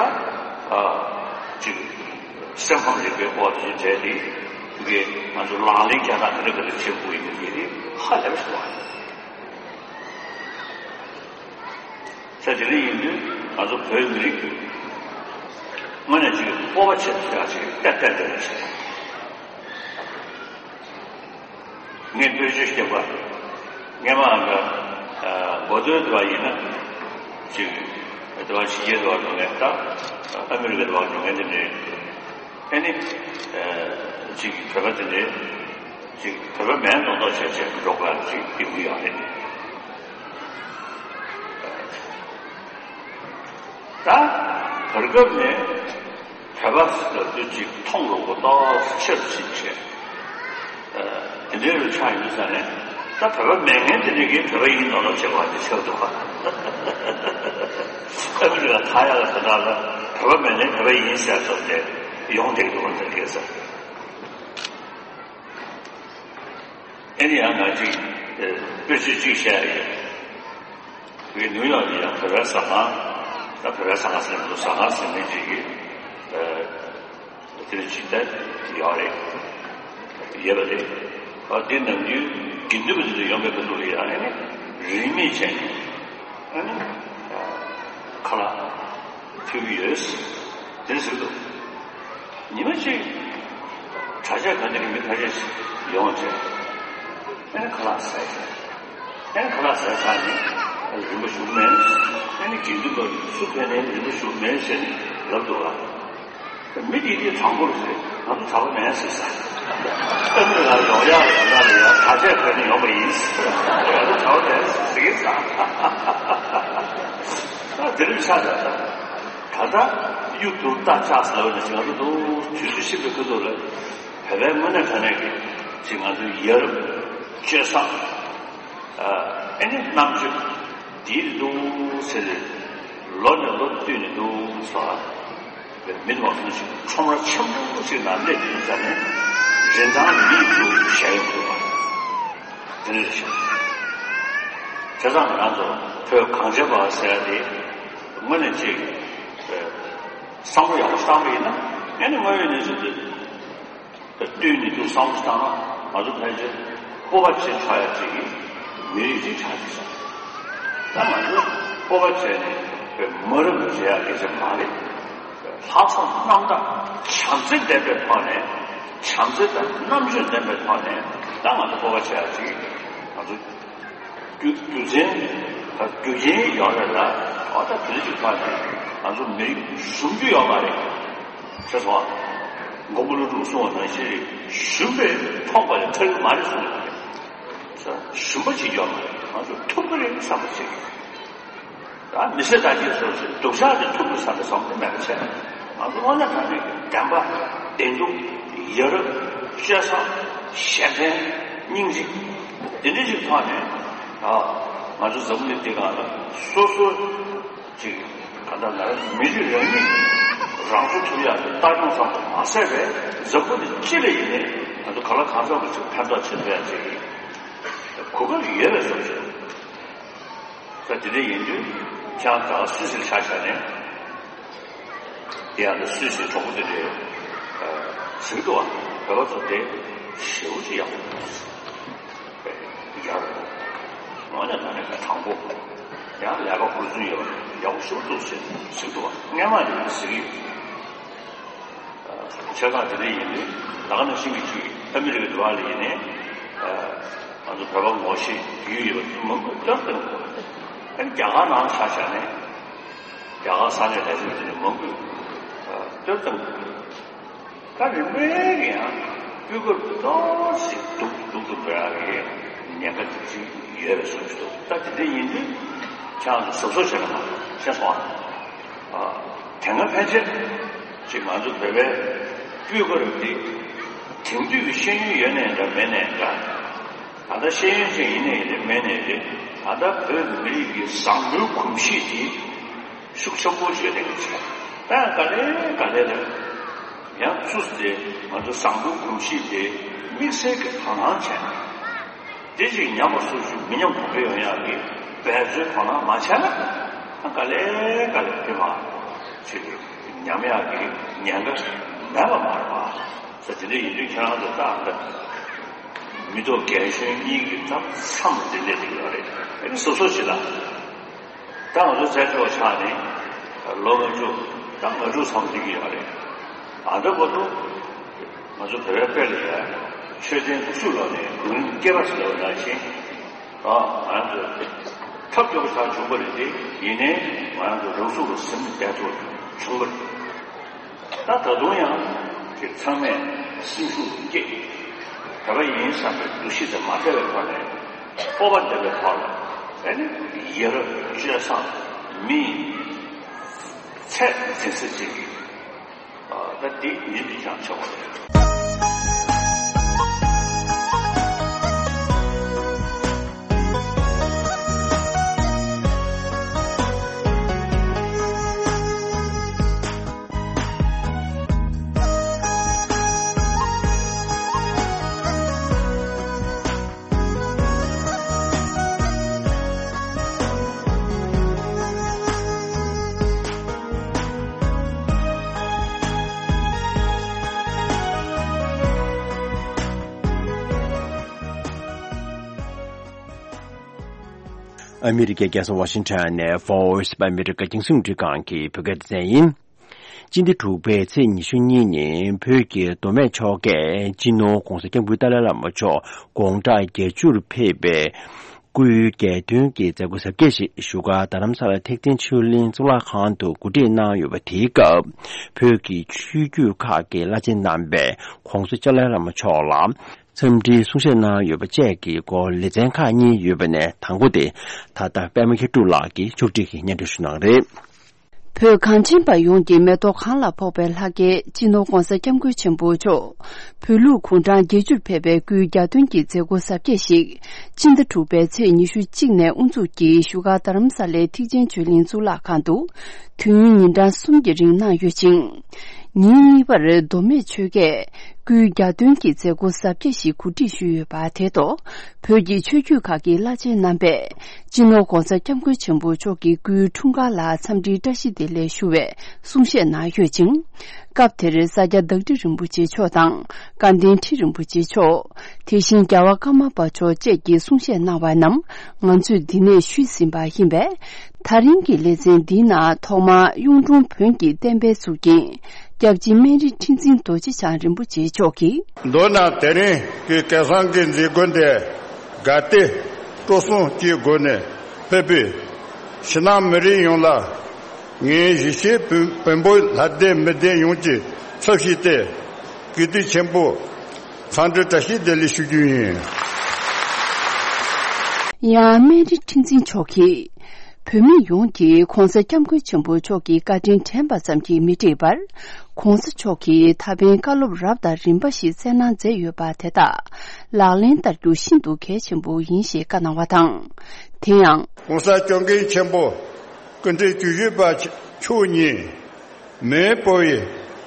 ཅིག་སེམས་ཁམས་རིག་པའི་སྐོར་དེ་འདྲའི་དེ་གི་ང་ཚོ་ལག་ལེན་བསྟར་སྟངས་དེ་འདྲ་ག་འདྲ་བྱེད་དགོས་ཡིན་མིན་དེ་ཧ་ལས་པ་ཞིག་རེད། ས་དེ་འདྲ་ཡིན་དུས་ང་ཚོ་བོད་མི་རིགས་ཀྱི་དངོས་གནས་ཅིག་སྤོབས་པ་ཆེ་ཤོས་ཅིག་ཏན་ཏན་ཏན་ཞིག་ངས་བཀོལ་སྤྱོད་བཤད་པ། སྔས་མ་འགའ་གོ་ཐོས་དུ་བ་ཡིན་ན་ཅིག་དུ་བ་ཕྱི་རྒྱལ་དུ་བ་འགྲོ་མཁན་ད་ཨ་མི་རི་ཀ་དུ་བ་འགྲོ་མཁན་དེ་འདྲའི་ཨ་ནི་ཅིག་བོད་པ་དེ་འདྲའི་ཅིག་བོད་པ་མིན་མདོག་མདོག་བྱས་བྱས་འགྲོ་དགོས་ཅིག་ཡོང་གི་ཡོད་རེད། ད་བར་སྐབས་ནས་བོད་པ་ཟེར་དུས་ཅིག་མཐོང་རུང་གོ་ཏོག་ཆེར་ཕྱིན་བྱས། དེ་འདྲའི་རུ་ཆགས་ཡོད་ས་ནས་ད་བོད་པ་མེད་མཁན་དེ་འདྲ་གིས་བོད་པ་ཡིན་ནོ་ལབ་བྱེད་པ་དེ་ཆགས་འདུག་པ། ཨ་མི་རི་ཀ་ཐང་ཡ་ལ་ད་ལྟ་ལ་བོད་པ་མེད་མཁན་བོད་པ་ཡིན་ཟེར་ཐུབ་སྟེ་ཡོང་བསྡད་འདུག་པ་དེ་རེད་ས། ཨེ་ནི་ཡང་ང་ཅིག་དཔེ་ཆ་གཅིག་བཤད་ཡོད། བའི་ནིའུ་ཡོག་ནས་ཡང་བོད་པའི་ཟ་ཁང་། ད་བོད་པའི་ཟ་ཁང་ཟེར་ན་ཟ་ཁང་ཟེར་མཁན་ཅིག་གིས་དེ་ཅིག་ད་ཡོད་རེད། ཡོད་པ་རེད། ཨ་དེ་ནམ་རྒྱུན་དགེ་འདུན་པ་དེ་ཚོ་ཡོང་བའི་སྐབས་ལ་ཡང་ཨ་ནི་རིན་མེད་བྱས་ནས་ཨ་ནི་ཁ་ལག་ཕུལ་གྱི་ཡོད། དེ་ཟེར་འདུག་ཉི་མ་གཅིག་གྲྭ་ཆས་ག་ནས་མི་ཁ་ཤས་ཤིག་ཡོང་བྱས། ཨ་ནི་ཁ་ལག་ཟས་བྱས། ཨ་ནི་ཁ་ལག་ཟས་ཚར་ནས་རིན་པ་ཞུ་གི་མེད། ཨ་ནི་དགེ་འདུན་པ་སུ་ཕེབས་ནའི་རིན་པ་ཞུ་གི་མེད་ཟེར་ནས་ལབ་འདུག་ལ། མི་དེ་དེ་དྲང་པོར་ཟེར་ང་ཚོ་གྲྭ་པ་མེད་ཟེར་ས། ཨ་ནི་ལ་ཡོང་ཡག་ལ་ཡོང་ཡག་ལ་ཡང་གྲྭ་ཆས་ག་ནས་ཡོང་བ་ཡིན་ཟེར། ང་ཚོ་གྲྭ་པ་མེད་ཟེར་གི་ས། ད་དེ་རིང་ཆ་ད་ད། ད་ལྟ་གཡུ་དུར་རྟ་ལྕགས་ཟེར་བ་ནི་ང་ཚོ་འདུག་དུས་ཚོད་ཤིན་ཏུ་ཁུ་ཐུག་ལ་བོད་པའི་དངོས་གནས་དྲང་གནས་ཀྱི་ཅིག་ང་ཚོའི་ཡ་རབས་སྤྱོད་བཟང་ཨ་ནི་རྣམ་དཔྱོད་འདིའི་འདུག་ཟེར་ཏེ་ལོ་ནས་ལོ་བསྟུད་ནས་འདུག་ཟེར་བ་མི་དམངས་ཚོ་ཞིག་ཁྲོམ་ར་ཆེན་པོ་ཞིག་ནང་སླེབས་ཡོང་ཙང་ནས་རིན་ཐང་མིས་ཚུར་གཞལ་ཡོང་འདུག་པ། དེ་འདྲ་ཞིག་བྱས་ཙང་ང་རང་ཚོ་བོད་གངས་ཅན་པ་ཟེར་ཡ་དེ་དངོས་གནས་ཅིག་བསམ་བློ་ཡག་པོ་བཏང་བ་ཡིན་ན་ཨ་ནི་དངོས་ཡོད་གནས་ཚུལ་དེ་བསྟུན་ནས་འདུག་བསམ་བློ་བཏང་ན་ང་ཚོ་ཕལ་ཆེར་སྤོབས་པ་ཆེ་ཆགས་ཡ་ཅིག་མི་རིགས་ཅིག་ཆགས་ཀྱི་སོང་། ད་ང་ཚོ་སྤོབས་པ་བྱས་ནས་མ་རབས་བྱེད་ཡ་སྐད་ཆ་མ་རེད། ལྷག་བསམ་རྣམ་དག་བྱམས་བརྩེ་ལྡན་པའི་ཐོག་ནས་བྱམས་བརྩེ་དང་རྣམ་དཔྱོད་ལྡན་པའི་ཐོག་ནས་ད་ང་ཚོ་སྤོབས་པ་བྱེད་ཡ་ཅིག་ང་ཚོ་རྒྱུ་རྒྱུ་མཚན་དང་རྒྱུ་རྐྱེན་ཡོད་རེད་ལ་ཨོ་ད་དེ་ཅིག་ཐོག་ནས་ང་ཚོ་མི་རིགས་ཞུམ་རྒྱུ་ཡོད་མ་རེད། ཤེས་སོང་། མགོན་པོ་ཀླུ་སྒྲུབ་གསུངས་པ་ནང་བཞིན་རེད། ཞུམ་པས་ཕོངས་པ་ལས་ཐར་གྱི་མ་རེད་གསུངས་པ་རེད། ཞུམ་པ་ཅིག་ཡོད་མ་རེད། ང་ཚོ་ཐུབ་ཀྱི་རེད་བསམ་པ་ཅིག་ད་མི་ཚེ་ད་གིན་སོ་སོའི་སྡུག་ཅག་དེ་ཐུབ་དགོས་བསམ་པའི་བསམ་བློ་མེད་པ་བྱས། ང་ཚོ་དངོས་གནས་དྲང་གནས་ཀྱི་བདེན་པ་བདེན་སྡུག་ཡ་རབས་སྤྱོད་བཟང་གཞན་ཕན་སྙིང་རྗེ་འདི་འདྲ་ཞིག་ཐོག་ནས་ཨ་ང་ཚོ་འཛམ་བུ་གླིང་འདི་སྒང་ལ་སོ་སོ་ཅིག་ག་ད་ལ་མི་རིགས་རང་ཉིད་རང་སྲུང་ཐུབ་ཡག་གི་ལྟ་སྐྱོང་ཙམ་དུ་མ་ཟད་པའི་འཛམ་བུ་གླིང་སྤྱི་ལ་ཡིན་ནའི་ང་ཚོ་གང་ལ་གང་འཚམ་གྱི་ཅིག་ཕན་ཐོགས་བྱེད་ཐུབ་ཡག་ཅིག་གོ་སྐབས་ཡོད་པའི་བཟོ་ཞིག་ད་དེ་འདྲ་ཡིན་དུས་ཁྱེད་རང་ད་སུད་སིར་ཆ་བཞག་ནས་དེ་ཡང་ད་སུད་སིའི་གྲོགས་པོ་དེ་འདྲས་ཟེར་གི་འདུག་བ། བོད་པ་ཚོ་དེ་ཞེ་པོ་ཅིག་ཡག་པོ་འདུག་ཟེར། ཡག་པོ་འདུག་དངོས་གནས་དྲང་གནས་དྲང་པོ་ཡང་ལས་ཀ་ཧུར་བརྩོན་ཡོད་པ་ཡག་པོ་ཞེ་པོ་འདུག་ཟེར་ཟེར་གི་འདུག་བ། སྔས་མ་དེ་འདྲ་ཟེར་གི་ཡོད། ཆ་ཚང་དེ་འདྲ་ཡིན་དུས་ད་ག་ནང་བཞིན་གྱི་ཅིག་ཨ་མི་རི་ཀའི་འགྲོ་བ་ལ་ཡིན་ནའི་ང་ཚོ་བོད་པ་ངོ་ཤེས་རྒྱུས་ཡོད་པ་མང་པོས་བསྟོད་བཏང་གི་འདུག་ཨ་ནི་རྒྱ་གར་ནང་ཆ་བཞག་ནས་རྒྱ་གར་ས་གནས་ལས་བྱེད་པ་དེ་འདྲ་མང་པོས་བསྟོད་བཏང་གི་འདུག་ད་རིམ་པས་ཀྱི་ཡང་སྤུས་ཀ་ཏོག་ཙམ་སྡུག་སྡུག་ཏུ་འགྲོ་ཡག་གི་ཉེན་ཁ་དེ་ཅིག་ཡོད་པའི་བཟོ་ཞིག་འདུག་ད་དེ་འདྲ་ཡིན་དུས་ཁྱེད་རང་ཚོ་གཟབ་གཟབ་བྱས་ན་མ་ཤེས་སོང་ཨ། དེ་སྔ་ཕལ་ཆེར་ཅིག་ང་ཚོ་བོད་པའི་སྤུས་ཀ་རུ་འདི་དེང་དུས་ཀྱི་ཤེས་ཡོན་ཡོད་ནའི་འདྲ་མེད་ནའི་འདྲ། ད་ལྟ་ཤེས་ཡོན་ཅན་ཡིན་ནའི་རེད། མེད་ནའི་རེད། ད་ལྟ་བོད་ཀྱི་མི་རིགས་ཀྱི་བཟང་པོའི་གོམས་གཤིས་དེ་ཤུགས་ཆེན་པོ་ཞིག་ལྡན་གྱི་ཆེ། ད་ཡང་ག་ལེ་ག་ལེ་རེད། ཡང་ཚུར་དེ་ང་ཚོ་བཟང་པོའི་གོམས་གཤིས་དེ་དམིགས་བསལ་གྱི་དོ་སྣང་བྱས་ནས། དེ་ཅིག་ཉམས་པ་སོར་ཞིག་མི་ཉམས་གོང་འཕེལ་ཡོང་ཡག་གི་འབད་རྩོལ་དོ་སྣང་མ་བྱས་ན། ད་ག་ལེ་ག་ལེ་དེ་མ་ཅིག་ཉམས་ཡག་གི་ཉེན་ཁ་མེད་པ་མ་རེད་པ། ས་དེ་འདྲ་ཡིན་དུས་ཁྱེད་རང་ཚོ་ཏག་ཏག་མི་ཐོག་རྒན་གཞོན་གཉིས་ཀྱི་ཐབ་མཚམས་དེ་སླེབས་ཀྱི་ཡོད་རེད། ཨ་ནི་སོ་སོ་ཞིག་ལ། ད་ང་ཚོ་བཙན་བྱོལ་བ་ཆགས་ནས་ལོ་ལྔ་བཅུ་ད་ལྔ་དྲུག་ཙམ་འགྲིག་གི་ཡོད་རེད། ཨ་ད་བར་དུ་ང་ཚོ་བོད་པའི་དཔེ་ལ་ཡ་ཆོས་ལྡན་ཀུ་ཤུ་ལོག་ནས་དགུང་རིང་སྐྱེས་པ་ཟེར་བ་ནང་བཞིན། ཨ་ང་ཚོ་ཐབས་སྐྱོ་པོ་ཆགས་བྱུང་བ་རེད་དེ། ཡིན་ནའི་ང་ཚོ་རང་ཚུགས་ལ་ཟིན་བསྡད་ཐུབ་བྱུང་བ་རེད། ད་ད་དུང་ཡང་དེ་ཚང་མས་སེམས་ཤུགས་བསྐྱེད། བོད་པ་ཡིན་བསམ་པའི་འདུ་ཤེས་དེ་མ་བྲལ་བའི་ཐོག་ནས་སྤོབས་པ་ལྡན་པའི་ཐོག་ལ་ཨ་ནི་ཡ་རབས་སྤྱོད་བཟང་མིའི་ཚད་འཛིན་ས་ཅིག་གི་ད་དེ་ཡིན་དུས་ཀྱང་ཆོག་པ་རེད། ཨ་མི་རི་ཀའི་རྒྱལ་ས་ཝ་ཤིང་ཊོན་ནས་Voice of America རྒྱང་སྲིང་རླུང་འཕྲིན་ཁང་གི་བོད་སྐད་སྡེ་ཚན་ཡིན། སྤྱི་ཟླ་དྲུག་པའི་ཚེས་ཉི་ཤུ་གཉིས་ཉིན་བོད་ཀྱི་མདོ་སྨད་ཕྱོགས་ཀྱི་སྤྱི་ནོར་༧གོང་ས་༧སྐྱབས་མགོན་ཏཱ་ལའི་བླ་མ་མཆོག་དགོང་དག་བརྒྱད་ཅུར་ཕེབས་པའི་སྐུའི་རྒྱལ་སྟོན་གྱི་མཛད་སྒོ་གཟབ་རྒྱས་ཤིག་བཞུགས་སྒར་རྡ་རམ་ས་ལ་ཐེག་ཆེན་ཆོས་གླིང་གཙུག་ལག་ཁང་དུ་གོ་སྒྲིག་གནང་ཡོད་པ་དེའི་སྐབས། བོད་ཀྱི་ཆོས་བརྒྱུད་ཁག་གི་བླ་ཆེན་རྣམ་པས་༧གོང་ས་༧ཏཱ་ལའི་བླ་མ་མཆོག་ལ་འཚམས་འདྲིའི་གསུང་བཤད་གནང་ཡོད་པ་བཅས་ཀྱི་སྐོར་ལེ་ཚན་ཁག་གཉིས་ཡོད་པ་ནས། དང་པོ་དེ་ད་ལྟ་པད་མ་མཁས་གྲུབ་ལགས་ཀྱིས་ཕྱོགས་སྒྲིག་གིས་སྙན་སྒྲོན་ཞུ་གནང་རེད། བོད་གངས་ཅན་པ་ཡོངས་ཀྱི་མེ་ཏོག་གང་ལ་ཕོག་པའི་ལྷ་སྐལ་སྤྱི་ནོར་༧གོང་ས་༧སྐྱབས་མགོན་ཆེན་པོ་མཆོག་བོད་ལུགས་གུང་ཁྲན་བརྒྱད་ཅུར་ཕེབས་པའི་སྐུའི་རྒྱལ་སྟོན་གྱི་མཛད་སྒོ་གཟབ་རྒྱས་ཤིག་སྤྱི་ཟླ་དྲུག་པའི་ཚེས་ཉི་ཤུ་གཅིག་ནས་དབུ་འཛུགས་ཀྱིས་བཞུགས་སྒར་རྡ་རམ་ས་ལའི་ཐེག་ཆེན་ཆོས་གླིང་གཙུག་ལག་ཁང་དུ་དུས་ཡུན་ཉིན་གྲངས་གསུམ་གྱི་རིང་གནང་ཡོད་ཅིང་། ཉིན་གཉིས་པར་མདོ་སྨད་ཆོལ་ཁས་སྐུའི་རྒྱལ་སྟོན་གྱི་མཛད་སྒོ་གཟབ་རྒྱས་ཤིག་གོ་སྒྲིག་ཞུས་ཡོད་པ་དེ་ཐོག་བོད་ཀྱི་ཆོས་བརྒྱུད་ཁག་གི་བླ་ཆེན་རྣམ་པས་སྤྱི་ནོར་༧གོང་ས་༧སྐྱབས་མགོན་ཆེན་པོ་མཆོག་གི་སྐུའི་འཁྲུངས་སྐར་ལ་འཚམས་འདྲིའི་བཀྲ་ཤིས་བདེ་ལེགས་ཞུ་བའི་གསུང་བཤད་གནང་ཡོད་ཅིང་། སྐབས་དེར་ས་སྐྱ་བདག་ཁྲི་རིན་པོ་ཆེ་མཆོག་དང་། སྐལ་ལྡན་ཁྲི་རིན་པོ་ཆེ་མཆོག་དེ་བཞིན་རྒྱལ་བ་ཀརྨ་པ་མཆོག་བཅས་ཀྱིས་གསུང་བཤད་གནང་བ་རྣམས་ང་ཚོས་འདི་ནས་ཞུས་ཟིན་པ་ཡིན་པས། ད་རིང་གི་ལེ་ཚན་འདིའི་ནང་ཐོག་མར་གཡུང་དྲུང་བོན་གྱི་བསྟན་པའི་གཙུག་རྒྱན་སྐྱབས་རྗེ་སྨན་རི་ཁྲི་འཛིན་རྡོ་རྗེ་འཆང་རིན་པོ་ཆེ་མཆོག་གིས། མདོར་ན་དེ་རིང་གི་སྐལ་བཟང་གི་མཛད་སྒོ་འདི་དགའ་བདེ་སྤྲོ་གསུམ་གྱི་སྒོ་ནས་ཕེབས་པའི་ཕྱི་ནང་མི་རིགས་ཡོངས་ལ་ངས་གཞིས་བྱེས་བོན་བོན་པོ་ལྷ་སྡེ་མི་སྡེ་ཡོངས་ཀྱི་ཚབ་ཞུས་ཏེ་གུས་བཏུད་ཆེན་པོ་འཚམས་འདྲི་བཀྲ་ཤིས་བདེ་ལེགས་ཞུ་རྒྱུ་ཡིན། ཡང་སྨན་རི་ཁྲི་འཛིན་མཆོག་གིས། བོད་མི་ཡོངས་ཀྱིས་༧གོང་ས་༧སྐྱབས་མགོན་ཆེན་པོ་མཆོག་གི་བཀའ་དྲིན་དྲན་པ་ཙམ་གྱིས་མི་འགྲིག་པར། ༸གོང་ས་མཆོག་གིས་ད་ཕན་བཀའ་སློབ་རབ་དང་རིམ་པ་ཞིག་སྩལ་གནང་མཛད་ཡོད་པ་དེ་དག་ལག་ལེན་བསྟར་རྒྱུ་ཤིན་ཏུ་གལ་ཆེན་པོ་ཡིན་ཞེས་བཀའ་གནང་བ་དང་། དེ་ཡང་། ༸གོང་ས་༸སྐྱབས་མགོན་ཆེན་པོ་སྐུ་ཕྲེང་བཅུ་བཞི་པ་མཆོག་ཉིད། མེས་པོ་ཡི་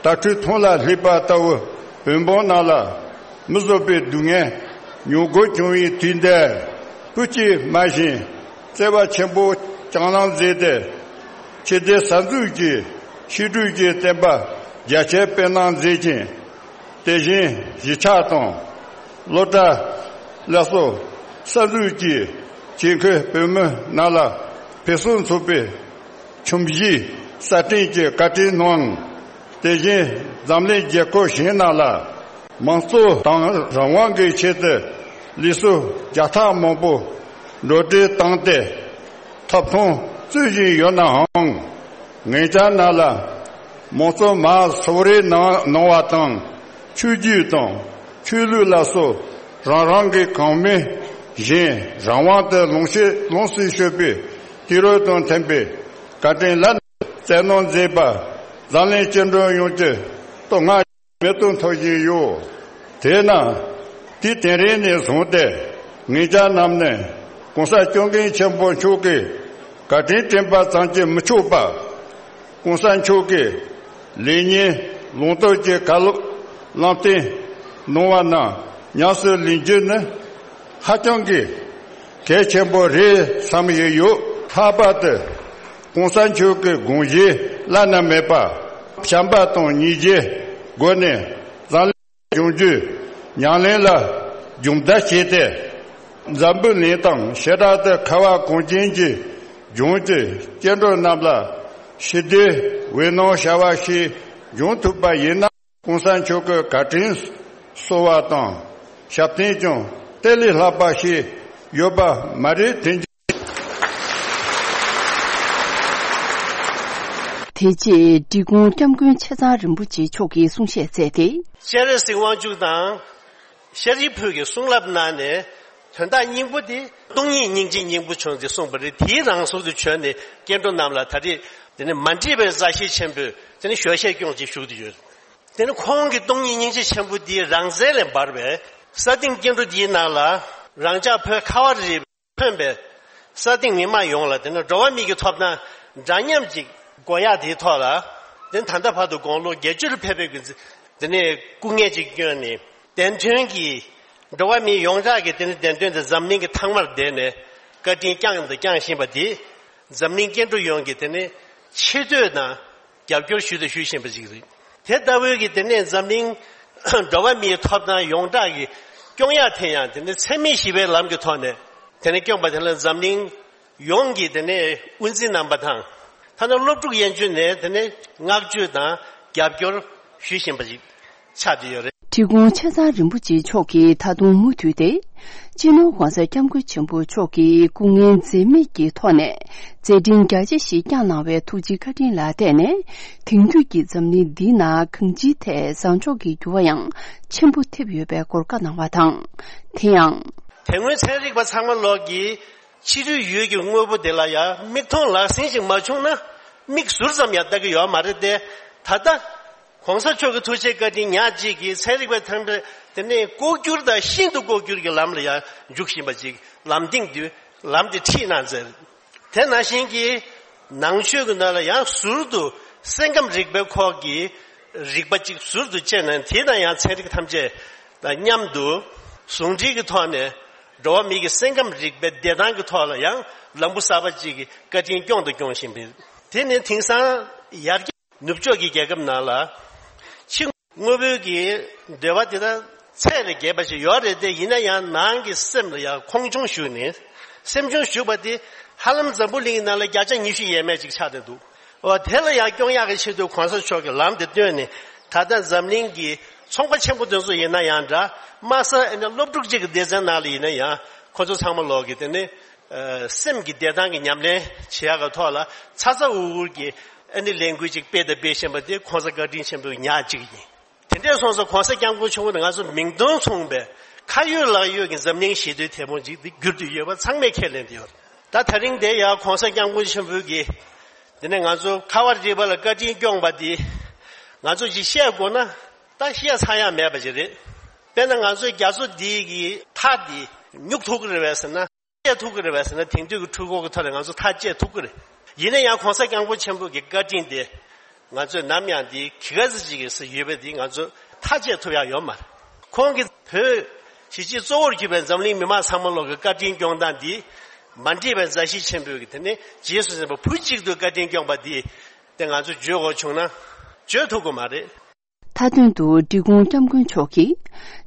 དྭ་ཕྲུག་ཐང་ལ་སླེབས་པ་ལྟ་བུ་བོན་པོ་རྣམས་ལ་མི་བཟོད་པའི་སྡུག་བསྔལ་མྱོང་དགོས་བྱུང་བའི་དུས་འདིར་བོད་ཀྱི་སྨྲ་ཤེས་བརྩེ་བ་ཆེན་པོ་བསྐྱངས་གནང་མཛད་དེ། ཕྱི་དེ་གསར་འཛུགས་ཀྱི་ཕྱི་སྒྲུབ་ཀྱི་བསྟན་པ་རྒྱ་ཆེར་སྤེལ་གནང་མཛད་ཅིང་། དེ་བཞིན་གཞིས་ཆགས་དང་སློབ་གྲྭ་སླར་གསོ་གསར་འཛུགས་ཀྱིས་ཆེད་མཁས་བོད་མི་རྣམས་ལ་ཕུན་སུམ་ཚོགས་པའི་ཁྱིམ་གཞིས་གསར་སྐྲུན་གྱི་བཀའ་དྲིན་གནང་། དེ་བཞིན་འཛམ་གླིང་རྒྱལ་ཁབ་གཞན་རྣམས་ལ་དམངས་གཙོ་དང་རང་དབང་གི་ཆེད་དུ་ལུས་སྲོག་བརྒྱ་ཕྲག་མང་པོ་འགྲོ་གྲོན་བཏང་སྟེ་ཐོབ་ཐང་རྩོད་བཞིན་ཡོད་ནའང་། ངེད་ཅག་རྣམས་ལ་དམངས་གཙོ་མར་གསོལ་རས་གནང་གནང་བ་དང་། ཆོས་བརྒྱུད་དང་ཆོས་ལུགས་ལ་སོགས་རང་རང་གི་གོང་མའི་བཞིན་རང་དབང་དུ་ལོངས་སྤྱོད་ལོངས་སུ་སྤྱོད་པའི་དུས་རབས་དང་མཐུན་པའི་བཀའ་དྲིན་ལ་བསྩལ་གནང་མཛད་པ་འཛམ་གླིང་སྤྱི་འགྲོ་ཡོངས་ཀྱི་བསྟོད་བསྔགས་མེད་དུ་མཐོ་བཞིན་ཡོད། དེས་ན་དུས་དེ་རིང་ནས་བཟུང་སྟེ། ངེད་ཅག་རྣམས་ནི་༸གོང་ས་༸སྐྱབས་མགོན་ཆེན་པོ་མཆོག་གི་བཀའ་དྲིན་དྲན་པ་ཙམ་གྱིས་མི་ཆོག་པར། ༸གོང་ས་མཆོག་གི་ལེགས་ཉེས་ལུང་སྟོན་གྱི་བཀའ་སློབ་ལམ་སྟོན་གནང་བ་རྣམས་ཉམས་སུ་ལེན་རྒྱུ་ནི་ཧ་ཅང་གི་གལ་ཆེན་པོ་རེད་བསམ་ཡོད་ཡོད། ལྷག་པར་དུ་༸གོང་ས་མཆོག་གི་དགོངས་གཞི་བླ་ན་མེད་པ་བྱམས་པ་དང་སྙིང་རྗེའི་སྒོ་ནས་འཛམ་གླིང་སྦྱོང་རྒྱུའི་ཉམས་ལེན་ལ་སྦྱོང་བརྡར་བྱས་ཏེ། འཛམ་བུ་གླིང་དང་བྱེ་བྲག་ཏུ་ཁ་བ་གངས་ཅན་གྱི་ལྗོངས་ཀྱི་སྐྱེ་འགྲོ་རྣམས་ལ་ཞི་བདེའི་འོད་སྣང་ཤར་བ་ཞིག་འབྱུང་ཐུབ་པ་ཡིན་ན། ༸གོང་ས་མཆོག་གི་བཀའ་དྲིན་གསོ་བ་དང་ཞབས་བརྟན་ཀྱང་དེ་ལས་ལྷག་པ་ཞིག་ཡོད་པ་མ་རེད་དྲན་གྱི། དེ་རྗེས་འབྲི་གུང་སྐྱབས་མགོན་ཆེ་ཚང་རིན་པོ་ཆེ་མཆོག་གིས་གསུང་བཤད་མཛད་དེ། སྤྱན་རས་གཟིགས་དབང་ཕྱུག་དང་། ཤཱ་རིའི་བུས་ཀྱི་གསུང་རབ་གནང་ནས་དོན་དག་སྙིང་པོ་དེ་སྟོང་ཉིད་སྙིང་རྗེ་སྙིང་པོ་བྱུང་སྟེ་གསུངས་པ་རེད། དེའི་རང་ཟུར་དུ་བྱོན་ནས་སྐྱེ་འགྲོ་རྣམས་ལ་ད་རེས་དེ་ནི་མ་འདྲིས་པའི་མཛའ་བཤེས་ཆེན་པོས་དེ་ནི་ཞལ་བཞེས་སྐྱོང་ཅིག་ཞུ་གི་ཡོད། དེ་ནི་ཁོང་གི་སྟོང་ཉིད་སྙིང་རྗེ་ཆེན་པོ་དེའི་རང་རྩལ་ལས་འབར་བའི་ས་སྟེང་སྐྱེ་འགྲོ་འདིའི་ནང་ལ་རང་ཅག་བོད་ཁ་བ་རི་ཕོན་པའི་ས་སྟེང་མི་མང་ཡོངས་ལ་དེ་ནི་འགྲོ་བ་མི་གི་ཐོབ་ཐང་འདྲ་མཉམ་ཅིག་དགོས་ཡག་དེའི་ཐོག་ལ་དེ་ནི་ད་ལྟ་བར་དུ་དགུང་ལོ་བརྒྱད་ཅུ་ལ་ཕེབས་པའི་དེ་ནི་སྐུ་ངལ་ཅིག་བསྐྱོན་ནས། བདེན་དོན་གྱི་འགྲོ་བ་མི་ཡོངས་གྲགས་ཀྱི་དེ་ནི་བདེན་དོན་དེ་འཛམ་གླིང་གི་ཐང་མར་བསྡད་ནས་བཀའ་དྲིན་བསྐྱངས་དང་བསྐྱངས་བཞིན་པ་དེ་འཛམ་གླིང་སྐྱེ་འགྲོ་ཡོངས་ཀྱི་དེ་ནི་ཆེ་བསྟོད་དང་རྒྱབ་སྐྱོར་ཞུས་དང་ཞུ་བཞིན་པ་ཞིག་རེད། དེ་ལྟ་བུའི་གི་དེ་ནི་འཛམ་གླིང་འགྲོ་བ་མིའི་ཐོབ་ཐང་ཡོངས་གྲགས་ཀྱི་སྐྱོང་ཡག་དེ་ཡང་དེ་ནི་འཚེ་མེད་ཞི་བའི་ལམ་གྱི་ཐོག་ནས་དེ་ནི་སྐྱོང་པ་དེ་ལ་འཛམ་གླིང་ཡོངས་ཀྱི་དེ་ནས་དབུ་འཛིན་རྣམ་པ་དང་། ཐ་ན་སློབ་ཕྲུག་ཡན་ཆོད་ནས་དེ་ནས་བསྔགས་བརྗོད་དང་རྒྱབ་སྐྱོར་ཞུ་བཞིན་པ་ཞིག་ཆགས་བསྡད་ཡོད་རེད། འབྲི་གུང་ཆེ་ཚང་རིན་པོ་ཆེ་མཆོག་གིས་ད་དུང་མུ་མཐུད་དེ། སྤྱི་ནོར་༸གོང་ས་༸སྐྱབས་མགོན་ཆེན་པོ་མཆོག་གིས་སྐུ་ངལ་འཛེམས་མེད་ཀྱི་ཐོག་ནས་མཛད་འཕྲིན་རྒྱ་ཆེ་ཞིག་བསྐྱངས་གནང་བའི་ཐུགས་རྗེ་བཀའ་དྲིན་ལ་བརྟེན་ནས། དེང་དུས་ཀྱི་འཛམ་གླིང་འདིའི་ནང་གང་ཅིའི་ཐད་བཟང་ཕྱོགས་ཀྱི་འགྱུར་བ་ཡང་ཆེན་པོ་ཐེབས་ཡོད་པའི་སྐོར་བཀའ་གནང་བ་དང་། དེ་ཡང་། དེ་སྔོན་ཚན་རིག་པ་ཚང་མ་ལོག་གིས་ཕྱི་རོལ་ཡུལ་གྱི་དངོས་པོ་དེ་ལ་ཡང་མིག་མཐོང་ལག་ཟིན་ཞིག་མ་བྱུང་ན་མིག་ཟུར་ཙམ་ཡང་ལྟ་གི་ཡོད་མ་རེད་དེ། ད་ལྟ་༸གོང་ས་མཆོག་གི་ཐུགས་རྗེ་བཀའ་དྲིན་ཉག་གཅིག་གིས་ཚན་རིག་པ་ཐམས་ཅད་དེ་ནས་ལྐོག་གྱུར་དང་ཤིན་ཏུ་ལྐོག་གྱུར་གྱི་ལམ་ལ་ཡང་འཇུག་བཞིན་པ་ཅིག་ལམ་སྟེང་དུ་ལམ་དེ་ཁྲིད་གནང་མཛད། དེ་ནང་བཞིན་གྱི་ནང་ཆོས་ཀྱི་ནང་ལ་ཡང་ཟུར་དུ་སེམས་ཁམས་རིག་པའི་ཁོག་གི་རིག་པ་གཅིག་ཟུར་དུ་བཅད་ནས་དེ་དང་ཡང་ཚན་རིག་ཐམས་ཅད་དང་མཉམ་དུ་ཟུང་འབྲེལ་གྱི་ཐོག་ནས་འགྲོ་བ་མི་གི་སེམས་ཁམས་རིག་པའི་བདེ་ཐང་གི་ཐོག་ལ་ཡང་ལམ་བུ་གསར་པ་གཅིག་གི་བཀའ་དྲིན་སྐྱོང་དང་སྐྱོང་བཞིན་པའི་དེ་ནི་དེང་སང་ཡར་རྒྱས་ནུབ་ཕྱོགས་ཀྱི་རྒྱལ་ཁབ་ནང་ལ་ཕྱི་དངོས་པོའི་གི་འདོད་པ་དེ་དག་ཚད་ལས་བརྒལ་བ་ཞིག་ཡོད་རེད་དེ། ཡིན་ན་ཡང་ནང་གི་སེམས་ལ་ཡང་ཁོང་ཆུང་ཞུགས་ནས་སེམས་ཆུང་ཞུགས་པ་དེ་ཧ་ལམ་འཛམ་བུ་གླིང་གི་ནང་ལ་བརྒྱ་ཆ་ཉི་ཤུ་ཡས་མས་ཅིག་ཆགས་བསྡད་འདུག་འོ་དེ་ལ་ཡང་སྐྱོང་ཡག་གི་ཆེད་དུ་གོང་ས་མཆོག་གིས་ལམ་དེ་སྟོན་ནས་ད་ལྟ་འཛམ་གླིང་གི་ཚོང་པ་ཆེན་པོ་དེ་ཚོ་ཡིན་ན་ཡང་འདྲ། དམའ་ས་ཨེ་ནི་སློབ་ཕྲུག་ཅིག་གི་སྡེ་ཚན་ནང་ལ་ཡིན་ན་ཡང་ཁོ་ཚོ་ཚང་མ་ལོག་གི་དེ་ནི་ཨ་སེམས་ཀྱི་བདེ་ཐང་གི་ཉམས་ལེན་བྱེད་ཡག་གི་ཐོག་ལ་ཚ་ཚ་འུར་འུར་གྱི་ཨ་ནི་ལས་འགུལ་ཅིག་སྤེལ་དང་སྤེལ་བཞིན་པ་དེ་གོང་ས་བཀའ་དྲིན་ཆེན་པོའི་ཉག་གཅིག་ཡིན། དེ་འདྲས་སོང་ཙང་གོང་ས་སྐྱབས་མགོན་ཆེན་པོ་ནི་ང་ཚོ་མིང་དོན་མཚུངས་པའི་ཁ་ཡོད་ལག་ཡོད་ཀྱི་འཛམ་གླིང་ཞི་བདེའི་དེད་དཔོན་ཅིག་ཏུ་གྱུར་ཏེ་ཡོད་པ་ཚང་མས་ཁས་ལེན་ཏེ་ཡོད། ད་ད་རིང་དེ་ཡང་གོང་ས་སྐྱབས་མགོན་ཆེན་པོ་གིས་དེ་ནས་ང་ཚོ་ཁ་བ་རི་པ་ལ་བཀའ་དྲིན་སྐྱོང་པ་འདི་ང་ཚོ་ཅིག་བཤད་དགོས་ན་ད་བཤད་ཚར་ཡག་མེད་པ་ཅིག་རེད། དཔེར་ན་ང་ཚོའི་རྒྱ་མཚོ་འདི་གི་མཐའ་འདི་སྨྱུག་ཐུབ་ཀྱི་རེད་པས་ཟེར་ན། བཅད་ཐུབ་ཀྱི་རེད་པས་ཟེར་ན། དེང་དུས་ཀྱི་འཕྲུལ་འཁོར་གྱི་ཐོག་ནས་ང་ཚོ་མཐའ་བཅད་ཐུབ་ཀྱི་རེད། ཡིན་ན་ཡང་གོང་ས་སྐྱབས་མགོན་ཆེན་པོ་གི་བཀའ་དྲིན་དེ་ང་ཚོས་ནམ་ཡང་འདི་གི་ག་ཚོད་ཅིག་གི་ཡོད་པ་འདི་ང་ཚོ་མཐའ་བཅད་ཐུབ་ཡག་ཡོད་མ་རེད། ཁོང་གིས་བོད་གཞིས་བྱེས་གཙོ་བོར་གྱུར་པའི་འཛམ་གླིང་མི་མང་ཚང་མ་ལོག་གི་བཀའ་དྲིན་སྐྱོང་སྟངས་འདི་མ་འདྲེས་པའི་མཛའ་བཤེས་ཆེན་པོས་གི་དེ་ནས་རྗེས་སུ་འཛིན་པ་བུ་གཅིག་ཏུ་བཀའ་དྲིན་སྐྱོང་པ་འདི་དེ་ང་ཚོས་བརྗོད་དགོས་བྱུང་ན་བརྗོད་ཐུབ་ཀྱི་མ་རེད། མཐའ་དོན་དུ་འབྲི་གུང་སྐྱབས་མགོན་མཆོག་གིས་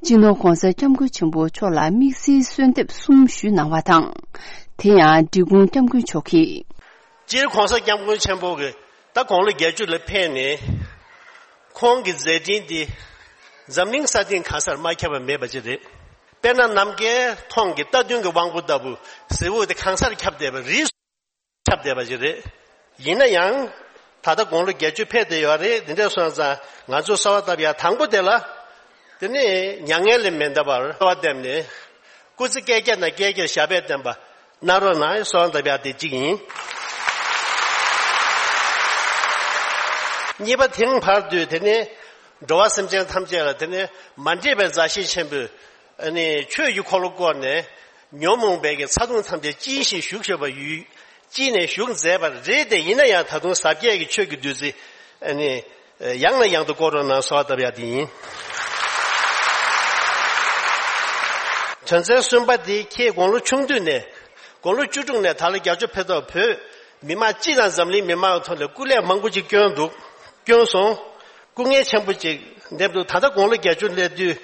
སྤྱི་ནོར་༸གོང་ས་༸སྐྱབས་མགོན་ཆེན་པོ་མཆོག་ལ་དམིགས་བསལ་གསོལ་འདེབས་གསུམ་ཞུས་གནང་བ་དང་། དེ་ཡང་འབྲི་གུང་སྐྱབས་མགོན་མཆོག་གིས། སྤྱིར་༸གོང་ས་༸སྐྱབས་མགོན་ཆེན་པོ་གིས་ད་དགུང་ལོ་བརྒྱད་ཅུ་ལ་ཕེབས་ནས་ཁོང་གི་མཛད་འཕྲིན་འདི་འཛམ་གླིང་ས་སྟེང་གང་སར་མ་ཁྱབ་པ་མེད་པ་ཅིག་རེད། དཔེར་ན་ནམ་མཁའི་མཐོངས་ཀྱི་རྟ་བདུན་གྱི་དབང་པོ་ལྟ་བུ་གཟི་འོད་དེ་གང་སར་ཁྱབ་བསྡད་པ་རེད། ཁྱབ་བསྡད་པ་ཞིག་རེད། ཡིན་ན་ཡང་། ད་ལྟ་དགུང་ལོ་བརྒྱད་ཅུ་ཕེབས་བསྡད་ཡོད་རེད། འདི་འདྲ་སོང་ཙང་ང་ཚོ་གསོལ་བ་བཏབ་ཡག་དང་པོ་དེ་ལ། དེ་ནི་མྱ་ངན་ལས་མི་འདའ་བར་གསོལ་བ་བཏབ་ནས། སྐུ་ཚེ་བསྐལ་བརྒྱ་ན་བསྐལ་བརྒྱར་ཞབས་པད་བརྟན་པ་གནང་རོགས་གནང་གསོལ་བ་བཏབ་ཡག་དེ་གཅིག་ཡིན། གཉིས་པ་དེང་བར་དུ་དེ་ནི་འགྲོ་བ་སེམས་ཅན་ཐམས་ཅད་ལ་དེ་ནི་མ་འདྲེས་པའི་མཛའ་བཤེས་ཆེན་པོས་ཨ་ནི་ཆོས་ཀྱི་འཁོར་ལོ་བསྐོར་ནས། ཉོན་མོངས་པའི་གི་ཚ་གདུང་ཐམས་ཅད་གཅིན་ཞིང་ཞུགས་ཤོར་བ་ཡོད། གཅིན་ནས་ཞུགས་མཛད་པ་རེད་དེ། ཡིན་ན་ཡང་ད་དུང་ཟབ་རྒྱས་ཀྱི་ཆོས་ཀྱི་བདུད་རྩི་ཨ་ནི་ཡང་ནས་ཡང་དུ་བསྐོར་རོགས་གནང་གསོལ་བ་བཏབ་ཡ་དེ་ཡིན། དོན་ཚན་གསུམ་པ་དེ་ཁྱེད་དགུང་ལོ་ཆུང་དུས་ནས་དགུང་ལོ་བཅུ་དྲུག་ནས་ད་ལོ་བརྒྱད་ཅུ་ཕེབས་ཐོག་བོད་མི་མང་སྤྱི་དང་འཛམ་གླིང་མི་མང་ཐོག་ནས་སྐུ་ལས་མང་པོ་ཅིག་བསྐྱོན་འདུག་བསྐྱོན་སོང་། སྐུ་ངལ་ཆེན་པོ་ཅིག་འདེབས་འདུག་ད་ལྟ་དགུང་ལོ་བརྒྱད་ཅུ་སླེབས་དུས་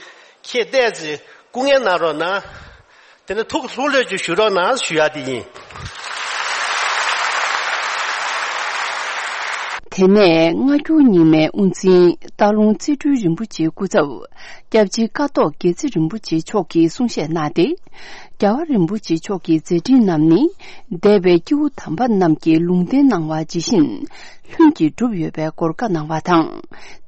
ཁྱེད་བལྟས་ཚེ་སྐུ་ངལ་གནང་རོགས་གནང་། དེ་ནས་ཐུགས་ལྷུག་ལྷོད་ཅིག་ཞུ་རོགས་གནང་ཞུ་ཡ་དེ་ཡིན། དེ་ནས་སྔ་འགྱུར་རྙིང་མའི་དབུ་འཛིན་སྟག་ལུང་རྩེ་སྤྲུལ་རིན་པོ་ཆེའི་སྐུ་ཚབ་སྐྱབས་རྗེ་ཀཿཐོག་དགེ་ཚེ་རིན་པོ་ཆེ་མཆོག་གིས་གསུང་བཤད་གནང་སྟེ། རྒྱལ་བ་རིན་པོ་ཆེ་མཆོག་གི་མཛད་འཕྲིན་རྣམས་ནི་འདས་པའི་སྐྱེས་བུ་དམ་པ་རྣམས་ཀྱིས་ལུང་བསྟན་གནང་བ་ཇི་བཞིན་ལྷུན་གྱིས་གྲུབ་ཡོད་པའི་སྐོར་བཀའ་གནང་བ་དང་།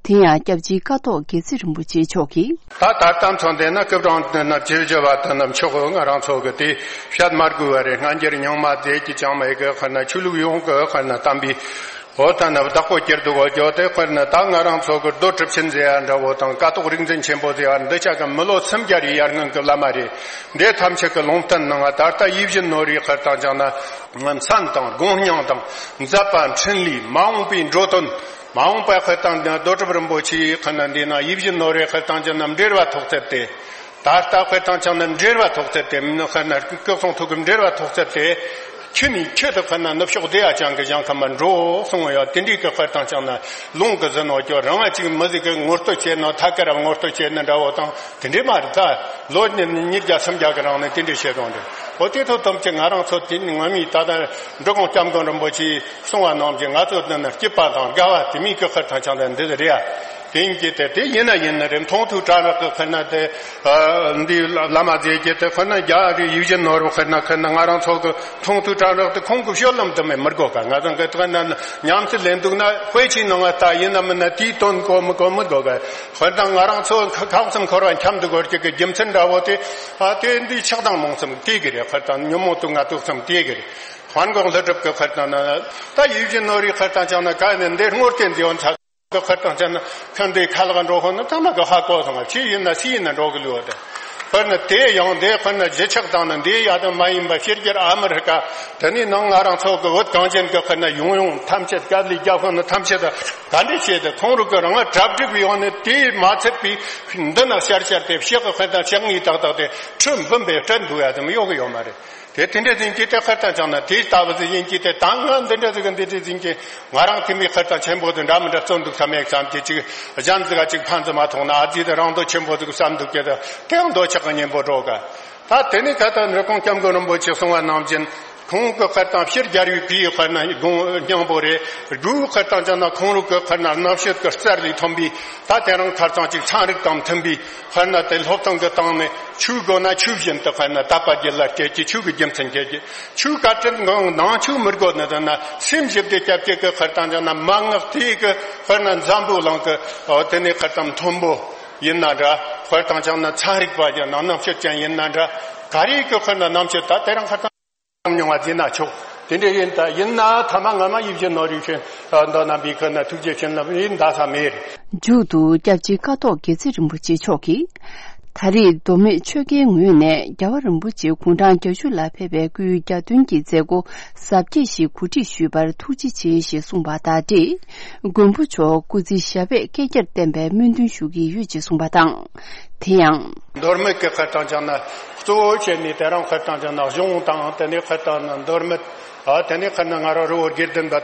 དེ་ཡང་སྐྱབས་རྗེ་ཀཿཐོག་དགེ་ཚེ་རིན་པོ་ཆེ་མཆོག་གིས། ད་ད་ལྟ་མཚོན་དེ་ན་སྐུ་དྲུང་དེ་ན་བཅུ་བཞི་བ་དེ་ན་མཆོག་ང་རང་ཚོ་གི་དེ་བཤད་མ་དགོས་པ་རེད། སྔ་འགྱུར་རྙིང་མ་མཛད་ཀྱི་ཅང་མེད་གི་དཔེར་ན་ཆོས་ལུགས་ཡོངས་གི་དཔེར་ན་དམ་པའི་འོ་ད་ནི་བདག་པོ་སྐྱེར་འདུག་གོ་ཇོ་དེ་དཔེར་ན་ད་ང་རང་ཚོ་གི་རྡོ་གྲུབ་ཆེན་ཟེར་ཡ་འདྲ་བོ་དང་ཀཿཐོག་རིག་འཛིན་ཆེན་པོ་ཟེར་ཡ་འདི་ཆ་གི་མི་ལོ་སུམ་བརྒྱ་རེ་ཡར་སྔོན་གི་བླ་མ་རེད། འདི་ཐམས་ཅད་ཀྱི་ལུང་བསྟན་གནང་བ་ད་ལྟ་ཡིད་བཞིན་ནོར་བུའི་དཔེར་དང་ཅང་ན་མཚན་དང་དགོངས་སྙིང་དང་མཛད་པ་འཕྲིན་ལས་མ་འོངས་པའི་འགྲོ་དོན། མ་འོངས་པའི་དཔེར་དང་ཅང་ན་རྡོ་གྲུབ་རིན་པོ་ཆེའི་དཔེར་ན་འདི་ན་ཡིད་བཞིན་ནོར་བུའི་དཔེར་དང་ཅང་ན་འབྲེལ་བ་ཐོགས་ཚད་དེ། ད་ལྟ་དཔེར་དང་ཅང་ན་འབྲེལ་བ་ཐོགས་ཚད་དེ་མིན་ན་དཔེར་ན་སྐུ་གསུང་ཐུགས་ཀྱི་འབྲེལ་བ་ཐོགས་ཚད་དེ། ཁྱོད་ནི་ཁྱོད་དུ་དཔེར་ན་ནུབ་ཕྱོགས་བདེ་བ་ཅན་གྱི་ཞིང་ཁམས་མ་འགྲོ་གསུང་ཡོད། དེ་འདྲའི་གི་དཔེར་དང་ཅང་ན་ལུང་གི་ཟིན་ནོ་ཀྱོ་རང་ང་ཅིག་མི་ཟིག་གི་ངོ་སྤྲོད་བྱས་ནོ་ཐ་ཀ་ར་ངོ་སྤྲོད་བྱས་ནི་འདྲ་བོ་དང་དེ་འདྲའི་མ་རེད། ད་ལོ་ཉིས་བརྒྱ་སུམ་བརྒྱ་གི་རིང་ནས་དེ་འདྲའི་བཤད་དོན་རེད། འོ་དེ་ཐོག་ཐམས་ཅད་ང་རང་ཚོ་དེ་ནི་ངོ་མའི་ད་ལྟ་འབྲི་གུང་སྐྱབས་མགོན་རིན་པོ་ཆེས་གསུང་བ་རྣམས་ཀྱིས་ང་ཚོ་འདི་ན་སྐྱིད་པ་དང་དགའ་བ་དེ་མིན་གྱི་དཔེར་དང་ཅང་ན་འདི་རེད་ཡ། དེ་ཡིན་གྱི་དེ་དེ་ཡིན་ན་ཡིན་ནི་རེད། མཐོང་ཐོས་གྲང་རེག་གི་དཔེར་ན་དེ་འདི་བླ་མ་མཛད་ཀྱི་དེ་དཔེར་ན་རྒྱ་རི་ཡིད་བཞིན་ནོར་བུ་དཔེར་ན་དཔེར་ན་ང་རང་ཚོ་གི་མཐོང་ཐོས་གྲང་རེག་དེ་ཁོང་གི་སྤྱོད་ལམ་དུ་མེད་མི་དགོས་ག་ང་ཚོ་གི་དཔེར་ན་ཉམས་སུ་ལེན་འདུག་ན་དཔེ་ཆའི་ནང་ང་ལྟ་ཡིན་ན་མིན་ན་དེའི་དོན་གོ་མི་གོ་མི་དགོས་ག་དཔེར་ན་ང་རང་ཚོ་ཁ་ཁ་གསུམ་འཁོར་བ་འཁྱམས་འདུག་གོ་ཀྱི་གི་རྒྱུ་མཚན་འདྲ་བོ་དེ་ཨ་དེ་འདི་ཆགས་སྡང་རྨོངས་གསུམ་དེ་གི་རེད། དཔེར་ན་ཉོན་མོངས་དུག་ལྔ་དུག་གསུམ་དེ་གི་རེད། དཔལ་མགོན་ཀླུ་སྒྲུབ་ཀྱི་དཔེར་ན་ན་ད་ཡིད་བཞིན་ནོར་བུའི་དཔེར་དང་ཅང་ན་ག་ནས་འདི་དངོས་བསྟན་མཛད་ཡོད་ཚ། ཀྱི་དཔེར་དང་ཅང་ན་ཁ་འདི་ཁ་ལག་འགྲོ་ཧོ་ན་ཐ་མ་གི་ཧ་གོ་སོང་བ་ཕྱི་ཡིན་ན་སི་ཡིན་ན་འགྲོ་གི་ལུས་བ་དེ། དཔེར་ན་དེ་ཡང་འདི་དཔེར་ན་ལྗིད་ཆགས་དང་ནི་འདི་ཡ་དང་མ་ཡིན་པ་ཕྱི་རྒྱལ་ཨ་མི་རི་ཀ་དེ་ནི་ནང་ང་རང་ཚོ་གི་བོད་གངས་ཅན་གྱི་དཔེར་ན་ཡོང་ཡོང་ཐམས་ཅད་དཀའ་ལས་རྒྱབ་ཧོ་ན་ཐམས་ཅད་ག་འདྲ་བྱས་ཏེ་ཁོང་རུ་གི་རང་ང་གྲ་སྒྲིག་ཡོང་ནས་དེ་མ་ཚད་པའི་འདི་ན་ཤར་ཤར་དེ་ཕྱི་གི་དཔེར་ན་ཕྱག་ངའི་ཏག་ཏག་དེ་ཁྲི་འབུམ་པའི་སྤྲད་འདུག་ཡ་དེ་མི་ཡོང་གི་ཡོད་མ་རེད། དེ་དེ་འདྲ་ཟིན་གྱི་དེ་ཁར་དང་ཅང་ན་དེ་ལྟ་བུ་ཟིན་གྱི་དེ་དང་ང་འདི་འདྲ་ཟིག་གི་འདི་འདྲ་ཟིན་གྱི་ང་རང་དེ་མི་ཁར་དང་ཆེན་པོ་དེ་འདྲ་མི་འདྲ་བརྩོན་འདུག་བསམ་ཡག་ཙམ་གྱི་ཅིག་གཞན་ཟིག་ག་ཅིག་ཕན་ཙམ་མ་ཐོགས་ན་ཨ་ཙི་དེ་རང་དོ་ཆེན་པོ་ཟིག་བསམ་འདུག་གི་དེ་དེའང་འདོད་ཆགས་ཀྱི་གཉེན་པོ་འགྲོ་ག་ད་དེ་ནི་ཁ་ཐག་འབྲི་གུང་སྐྱབས་མགོན་རིན་པོ་ཆེ་གསུང་བ་ནང་བཞིན། ཁོང་གི་དཔེར་དང་ཕྱི་རྒྱལ་བའི་གུས་དཔེར་ན་དགོངས་སྙིང་པོ་རེད། དགུའི་དཔེར་དང་ཅང་ན་ཁོང་རུ་གི་དཔེར་ན་རྣམ་དཔྱོད་ཀྱི་རྩལ་ལས་ཐོན་པའི་ད་དེ་རིང་ཁར་ཙང་ཅིག་ཚན་རིག་དང་མཐུན་པའི་དཔེར་ན་དེ་སློབ་སྟོན་གྱི་སྟེང་ནས་ཆོས་དགོས་ན་ཆོས་བཞིན་དུ་དཔེར་ན་དད་པ་རྒྱུད་ལ་སྐྱེ་གི་ཆོས་ཀྱི་རྒྱུ་མཚན་སྐྱེ་གི་ཆོས་བཀའ་དྲིན་གང་ནང་ཆོས་མི་དགོས་ན་དེ་ན་སེམས་ཞིབ་ཏུ་སྐྱབས་ཀྱི་དཔེར་དང་ཅང་ན་མན་ངག་དེའི་གི་དཔེར་ན་འཛམ་བུ་གླིང་གི་དེ་ནས་དཔེར་དང་མཐོན་པོ་ཡིན་ན་འདྲ། དཔེར་དང་ཅང་ན་ཚན་རིག་པ་ཡིན་ན་རྣམ་དཔྱོད་ཅན་ཡིན་ན་འདྲ། ག་རེ་གི་དཔེར་ན་རྣམ་དཔྱོད་ད་དེ་རིང་ཁར་ཙང་། མྱོང་བ་ཟིན་ན་ཆོག་དེ་འདྲ་ཡིན་ད་ཡིན་ན་ཐ་མ་ང་མ་ཡིད་བཞིན་ནོར་བུའི་ཤིང་མདོ་རྣམ་པའི་ཁུ་ན་ཐུགས་རྗེ་བྱིན་རླབས་ཡིན་ད་ས་མེད། མཇུག་ཏུ་སྐྱབས་རྗེ་ཀཿཐོག་དགེ་ཚེ་རིན་པོ་ཆེ་མཆོག་གིས། ད་རེས་མདོ་སྨད་ཆོལ་ཁའི་ངོས་ནས་རྒྱལ་བ་རིན་པོ་ཆེ་དགུང་གྲངས་བརྒྱད་ཅུ་ལ་ཕེབས་པའི་སྐུའི་གྱ་སྟོན་གྱི་མཛད་སྒོ་གཟབ་རྒྱས་ཤིག་གོ་སྒྲིག་ཞུས་པར་ཐུགས་རྗེ་ཆེ་ཞེས་གསུངས་པ་དང་འབྲེལ། མགོན་པོ་མཆོག་སྐུ་ཚེ་ཞབས་པད་བསྐལ་བརྒྱར་བརྟན་པའི་སྨོན་འདུན་ཞུ་གི་ཡོད་ཅེས་གསུངས་པ་དང་། དེ་ཡང་། མདོ་སྨད་ཀྱི་དཔེར་དང་ཅང་ན་གཙོ་བོ་བྱས་ནས་དེ་རིང་དཔེར་དང་ཅང་ན་གཞུང་དང་དེ་ནས་དཔེར་དང་ན་མདོ་སྨད་ཨ་དེ་ནས་དཔེར་ན་ང་རང་རི་བོ་དགེ་ལྡན་པ་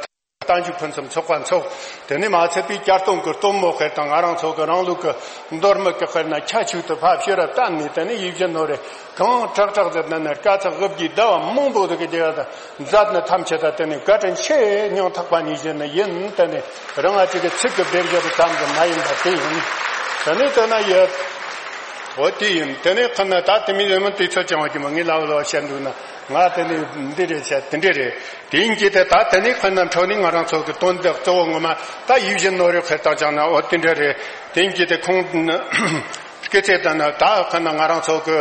བསྟན་བཅོས་ཕུན་སུམ་ཚོགས་པ་འཚོགས། དེ་ནས་མ་ཚད་པའི་བསྐྱར་གཏོང་གི་སྟོན་མོ་དཔེར་དང་ང་རང་ཚོ་གི་རང་ལུགས་ཀྱི་མདོ་སྨད་ཀྱི་དཔེར་ན་ཁྱད་ཆོས་དུ་ཕབ་ཕྱིར་བཏབ་ནས་དེ་ནས་ཡིད་བཞིན་ནོར་རེ་གང་དྲག་དྲག་ཟེར་ན་ནི་དཀའ་ཚེགས་དབུ་བརྒྱུད་ཟླ་བ་མང་པོ་དུ་གི་རྒྱལ་བ་དང་མཛད་ནི་ཐམས་ཅད་ད་དེ་ནས་བཀའ་དྲིན་ཆེ་སྙིང་ཐག་པ་ནས་བཞེས་ནི་ཡིན། དེ་ནས་རང་ང་ཅིག་གི་ཚིག་གི་སྡེབ་སྦྱོར་ཙམ་གྱི་མ་ཡིན་པ་དེ་ཡིན། དེ་ནས་དེ་ན་ཡོད། འོ་དེ་ཡིན། དེ་ནས་ཁ་ན་ད་དེ་མི་ཡོད་མི་དུས་ཚོད་ཅང་བ་གི་མ་ངའི་ལབ་ལོ་བཤད་འདུག་ན་ང་དེ་ནས་འདི་རེད་བཤད་དེ་འདྲ་རེད། དེ་ཡིན་གྱི་དེ་ད་དེ་ནས་ཁ་ན་འཕྲོ་ནས་ང་རང་ཚོ་གི་དོན་དག་གཙོ་བོ་ངོ་མ་ད་ཡིད་བཞིན་ནོར་བུའི་དཔེར་དང་ཅང་ན་འོ་དེ་འདྲ་རེད། དེ་ཡིན་གྱི་དེ་ཁོང་སྐད་ཆ་ད་ན་ད་ཁ་ན་ང་རང་ཚོ་གི་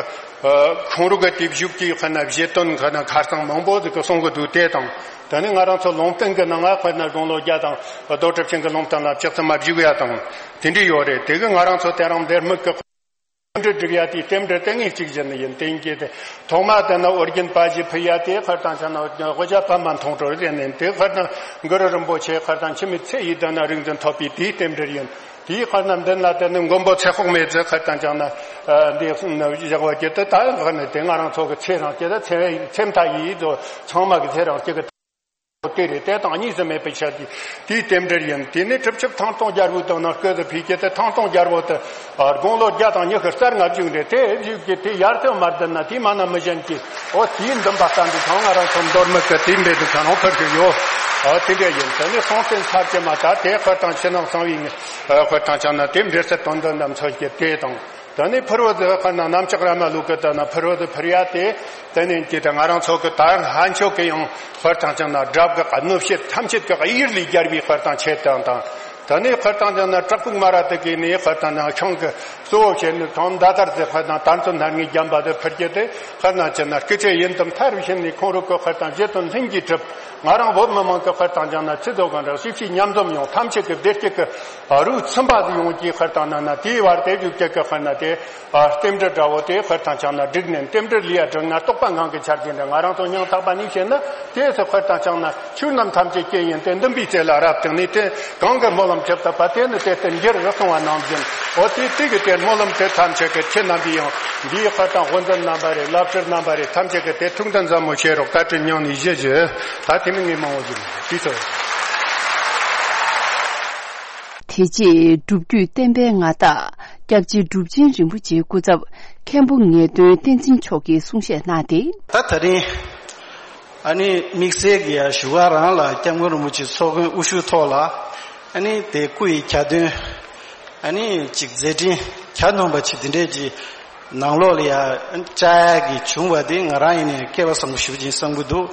ཁོང་རུ་གི་དེབ་བཞུགས་ཀྱི་ཁ་ན་བཞེད་དོན་ཁ་ན་ཁ་སང་མང་པོ་ཟིག་གི་གསུང་གི་འདུག་དེ་དང་དེ་ནས་ང་རང་ཚོ་ལུང་བསྟན་གི་ནང་ང་ཁ་ན་དགུང་ལོ་བརྒྱ་དང་རྡོ་གྲུབ་ཆེན་གི་ལུང་བསྟན་ལ་ལྕགས་ཚང་མ་བཞུགས་ཡ་དང་དེ་འདྲ་ཡོད་རེད། དེ་གི་ང་རང་ཚོ་དེ་རིང་འདིར་མི་གི་རྟེན་འབྲེལ་སྒྲིག་ཡ་དེའི་རྟེན་འབྲེལ་དེ་ངས་གཅིག་བཞིན་ཡིན། དེ་ཡིན་གྱི་དེ་ཐོག་མ་དེ་ནི་ཨོ་རྒྱན་པ་ཞིག་ཕུལ་ཡ་དེ་ཁར་དང་ཆ་ན་དབུ་ཞྭ་པདྨ་མཐོང་གྲོལ་ཟེར་ནས་དེ་ཁར་དང་གུ་རུ་རིན་པོ་ཆེ་ཁར་དང་འཆི་མེད་ཚེ་ཡི་དུ་ན་རིག་འཛིན་ཐོབ་པའི་དེའི་རྟེན་འབྲེལ་ཡིན། དེའི་ཁར་ན་མདུན་ལ་དེ་ནི་མགོན་པོ་ཚེ་དཔག་མེད་ཚེ་ཁར་དང་ཆ་ན་འདི་བཞག་པ་གྱི་དེ་ད་ཁར་ནི་དེ་ང་རང་ཚོ་གི་ཚེ་རིང་གི་དེ་ཚེ་ཚེ་མཐའ་ཡི་དོ་ཚང་མ་གི་ཚེ་རིང་གི་གི་དེ་རེད། དེ་དང་གཉིས་སུ་མེད་པའི་ཆ་དེ་དེའི་རྟེན་འབྲེལ་ཡིན། དེ་ནས་གྲུབ་ཆུབ་ཐང་སྟོང་རྒྱལ་པོའི་དོན་ནི་སྐུ་དུ་ཕུལ་གྱི་དེ་ཐང་སྟོང་རྒྱལ་པོ་དེ་དགུང་ལོ་བརྒྱ་དང་ཉི་ཤུ་རྩ་ལྔ་བཞུགས་འདྲ། དེ་བཞུགས་ཀྱི་དེ་ཡར་ཐོན་མར་ལྡིར་ན་དེ་མ་ན་མི་གཞན་གྱི་ཨོ་དེའི་འདུན་པ་ལྟ་འདི་ཚང་ང་རང་ཚོ་མདོ་སྨད་ཀྱི་དེའི་འབྲེལ་དུ་ཚང་རང་ཕུལ་གྱི་ཡོད། ཨོ་དེ་འདྲ་ཡིན། དེ་ནས་སྲོང་བཙན་ཚར་གྱི་མ་ད་དེ་ཁར་དང་ཕྱི་ནང་གསང་བའི་ངེས་ཁར་དང་ཆ་ན་དེ་འབྲེལ་ཚད་དོན་དུ་འདམ་ཚོད་ཀྱི་དེ་དང་། དེ་ནས་ཕུར་བུ་དེ་ཁ་ན་གནམ་ལྕགས་ར་མ་ལུག་གི་དེ་ན་ཕུར་བུ་དེ་ཕུར་ཡ་དེ། དེ་ནས་ཀྱི་དེ་ང་རང་ཚོ་གི་ད་ལྷ་མཆོག་གི་ཡང་དཔལ་དང་ཅན་ན་སྒྲ་གི་གནོད་བྱེད་ཐམས་ཅད་ཀྱི་གཡེར་ལས་རྒྱལ་བའི་དཔལ་དང་ཆེ་དང་དང་། དེ་ནས་དཔལ་དང་ཅན་ན་བྲག་ཕུག་མ་ར་དེ་གི་ནས་དཔལ་དང་ཅན་ཤིང་གི་གཙོ་བོ་བྱས་ནས་ཐང་མདའ་དར་དེ་དཔལ་དང་དར་ཚོན་སྣ་ལྔའི་རྒྱན་པ་དེ་ཕུར་གྱི་དེ་དཔལ་དང་ཅན་ན་སྐུ་ཚེ་ཡུན་དུ་མཐར་ཕྱིན་ནས་ཁོང་རུ་གི་དཔལ་དང་རྗེ་བཙུན་ལྷུན་གྱིས་གྲུབ། ང་རང་བོད་མི་མང་གི་དཔལ་དང་ཅན་ན་ཚེ་རྫོགས་གང་ར་སྲིད་ཕྱི་མཉམ་འཛོམས་ཡོང་ཐམས་ཅད་ཀྱི་བདེ་སྐྱིད་ཀྱི་རུ་ཚིམ་པ་དེ་ཡོང་གི་དཔལ་དང་ན་ན་དེའི་བར་དེ་བཞུགས་སྐྱེ་གི་དཔལ་ན་དེ། ཨ་རྟེན་འབྲེལ་འདྲ་བོ་དེ་དཔེར་དང་ཆ་ན་བསྒྲིགས་ནས་རྟེན་འབྲེལ་ལས་ཡ་བསྒྲིགས་ན་རྟོགས་པ་ངང་གིས་འཆར་གྱི་འདྲ། ང་རང་ཚོ་སྙིང་ཐག་པ་ནས་བཤད་ན་དེ་ཚོ་དཔེར་དང་ཆ་ན་ཆོས་རྣམས་ཐམས་ཅད་རྐྱེན་ཡིན་ཏེ། འདུན་པའི་རྩེ་ལ་རབ་བརྟེན་ནས་དེ་གང་གི་སྨོན་ལམ་ཅི་བཏབ་པ་དེ་ནི་དེ་ལྟར་འགྱུར་རོ་གསུངས་པ་ནང་བཞིན། འོ་དེ་དེ་གི་དེ་སྨོན་ལམ་དེ་ཐམས་ཅད་ཀྱི་ཁྱེད་རྣམ་པའི་ཡང་འདིའི་དཔེར་དང་དབུ་འཛིན་རྣམ་པ་རེད། བླ་སྤྲུལ་རྣམ་པ་རེད། ཐམས་ཅད་ཀྱི་དེ་ཐུགས་འདུན་ཟབ་མོ་བྱེད་རོགས། བཀའ་དྲིན་སྙིང་ནས་ཞུ་རྒྱུ། ད་དེ་མིན་ངས་མང་བོ་ཞུ་མི་དུས་ཚོད། དེ་རྗེས་སྒྲུབ་བརྒྱུད་བསྟན་པའི་མངའ་བདག་སྐྱབས་རྗེ་གྲུབ་ཆེན་རིན་པོ་ཆེའི་སྐུ་ཚབ་མཁན་པོ་ངེས་དོན་བསྟན་འཛིན་མཆོག་གིས་གསུང་བཤད་གནང་སྟེ། ད་ད་རིང་ཨ་ནི་དམིགས་བསལ་གྱི་ཡ་བཞུགས་སྒར་རང་ལ་སྐྱབས་མགོན་རིན་པོ་ཆེ་ཚོགས་མགོན་དབུ་བཞུགས་ཐོག་ལ་ཨ་ནི་དེ་སྐུ་ཡི་གྱ་སྟོན་ཨ་ནི་ཅིག་མཛད་འཕྲིན་གྱ་ནོམ་པ་ཅིག་དེ་འདྲས་ཀྱི་ནང་ལོགས་ལ་ཡ་བཅར་ཡ་གི་བྱུང་བ་དེ་ང་རང་ཡིན་ནའི་སྐལ་བ་བཟང་པོ་ཞེ་པོ་ཅིག་བསམ་གྱི་འདུག།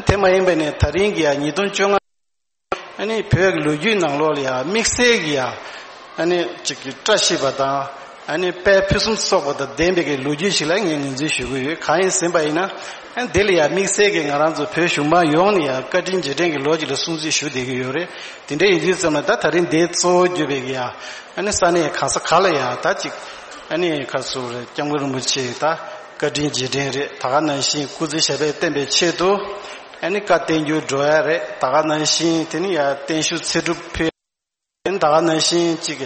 དེ་མ་ཡིན་པ་ནས་ད་རིང་གི་ཡ་ཉིས་སྟོང་བཅོ་ལྔ། ཨ་ནི་བོད་ཀྱི་ལོ་རྒྱུས་ནང་ལོགས་ལ་ཡང་དམིགས་བསལ་གྱི་ཡང་ཨ་ནི་གཅིག་གི་བཀྲ་ཤིས་པ་དང་ཨ་ནི་དཔལ་ཕུན་སུམ་ཚོགས་པ་དང་ལྡན་པའི་གི་ལོ་རྒྱུས་ཤིག་ལ་ངས་ངོས་འཛིན་ཞུ་གི་ཡོད། གང་ཡིན་ཟེར་བ་ཡིན་ན་ཨ་ནི་དེ་ལ་ཡང་དམིགས་བསལ་གྱི་ང་རང་ཚོ་བོད་གཞུང་མང་ཡོངས་ནས་ཡང་བཀའ་དྲིན་རྗེས་དྲན་གྱི་ལོ་གཅིག་ལ་སྲུང་བརྩི་ཞུ་བསྡད་ཀྱི་ཡོད་རེད། དེ་འདྲ་ཡིན་དུས་ཙམ་ལ་ད་ད་རིང་འདིའི་གཙོ་བོ་གྱུར་པའི་གི་ཡང་ཨ་ནི་ས་གནས་གང་ས་ག་ལ་ཡང་ད་ཅིག་ཨ་ནི་ག་ཚོད་རེད། སྐྱབས་མགོན་རིན་པོ་ཆེ་ད་བཀའ་དྲིན་རྗེས་དྲན་རེད། ད་ག་ནང་བཞིན་སྐུ་ཚེ་ཞབས་པད་བརྟན་པའི་ཆེད་དུ་ཨ་ནི་བཀའ་བསྟན་འགྱུར་འགྲོ་ཡ་རེད། ད་ག་ནང་བཞིན་དེ་ནི་ཡ་བརྟན་བཞུགས་ཚེ་སྒྲུབ་ཕུལ། ཨ་ནི་ད་ག་ནང་བཞིན་གཅིག་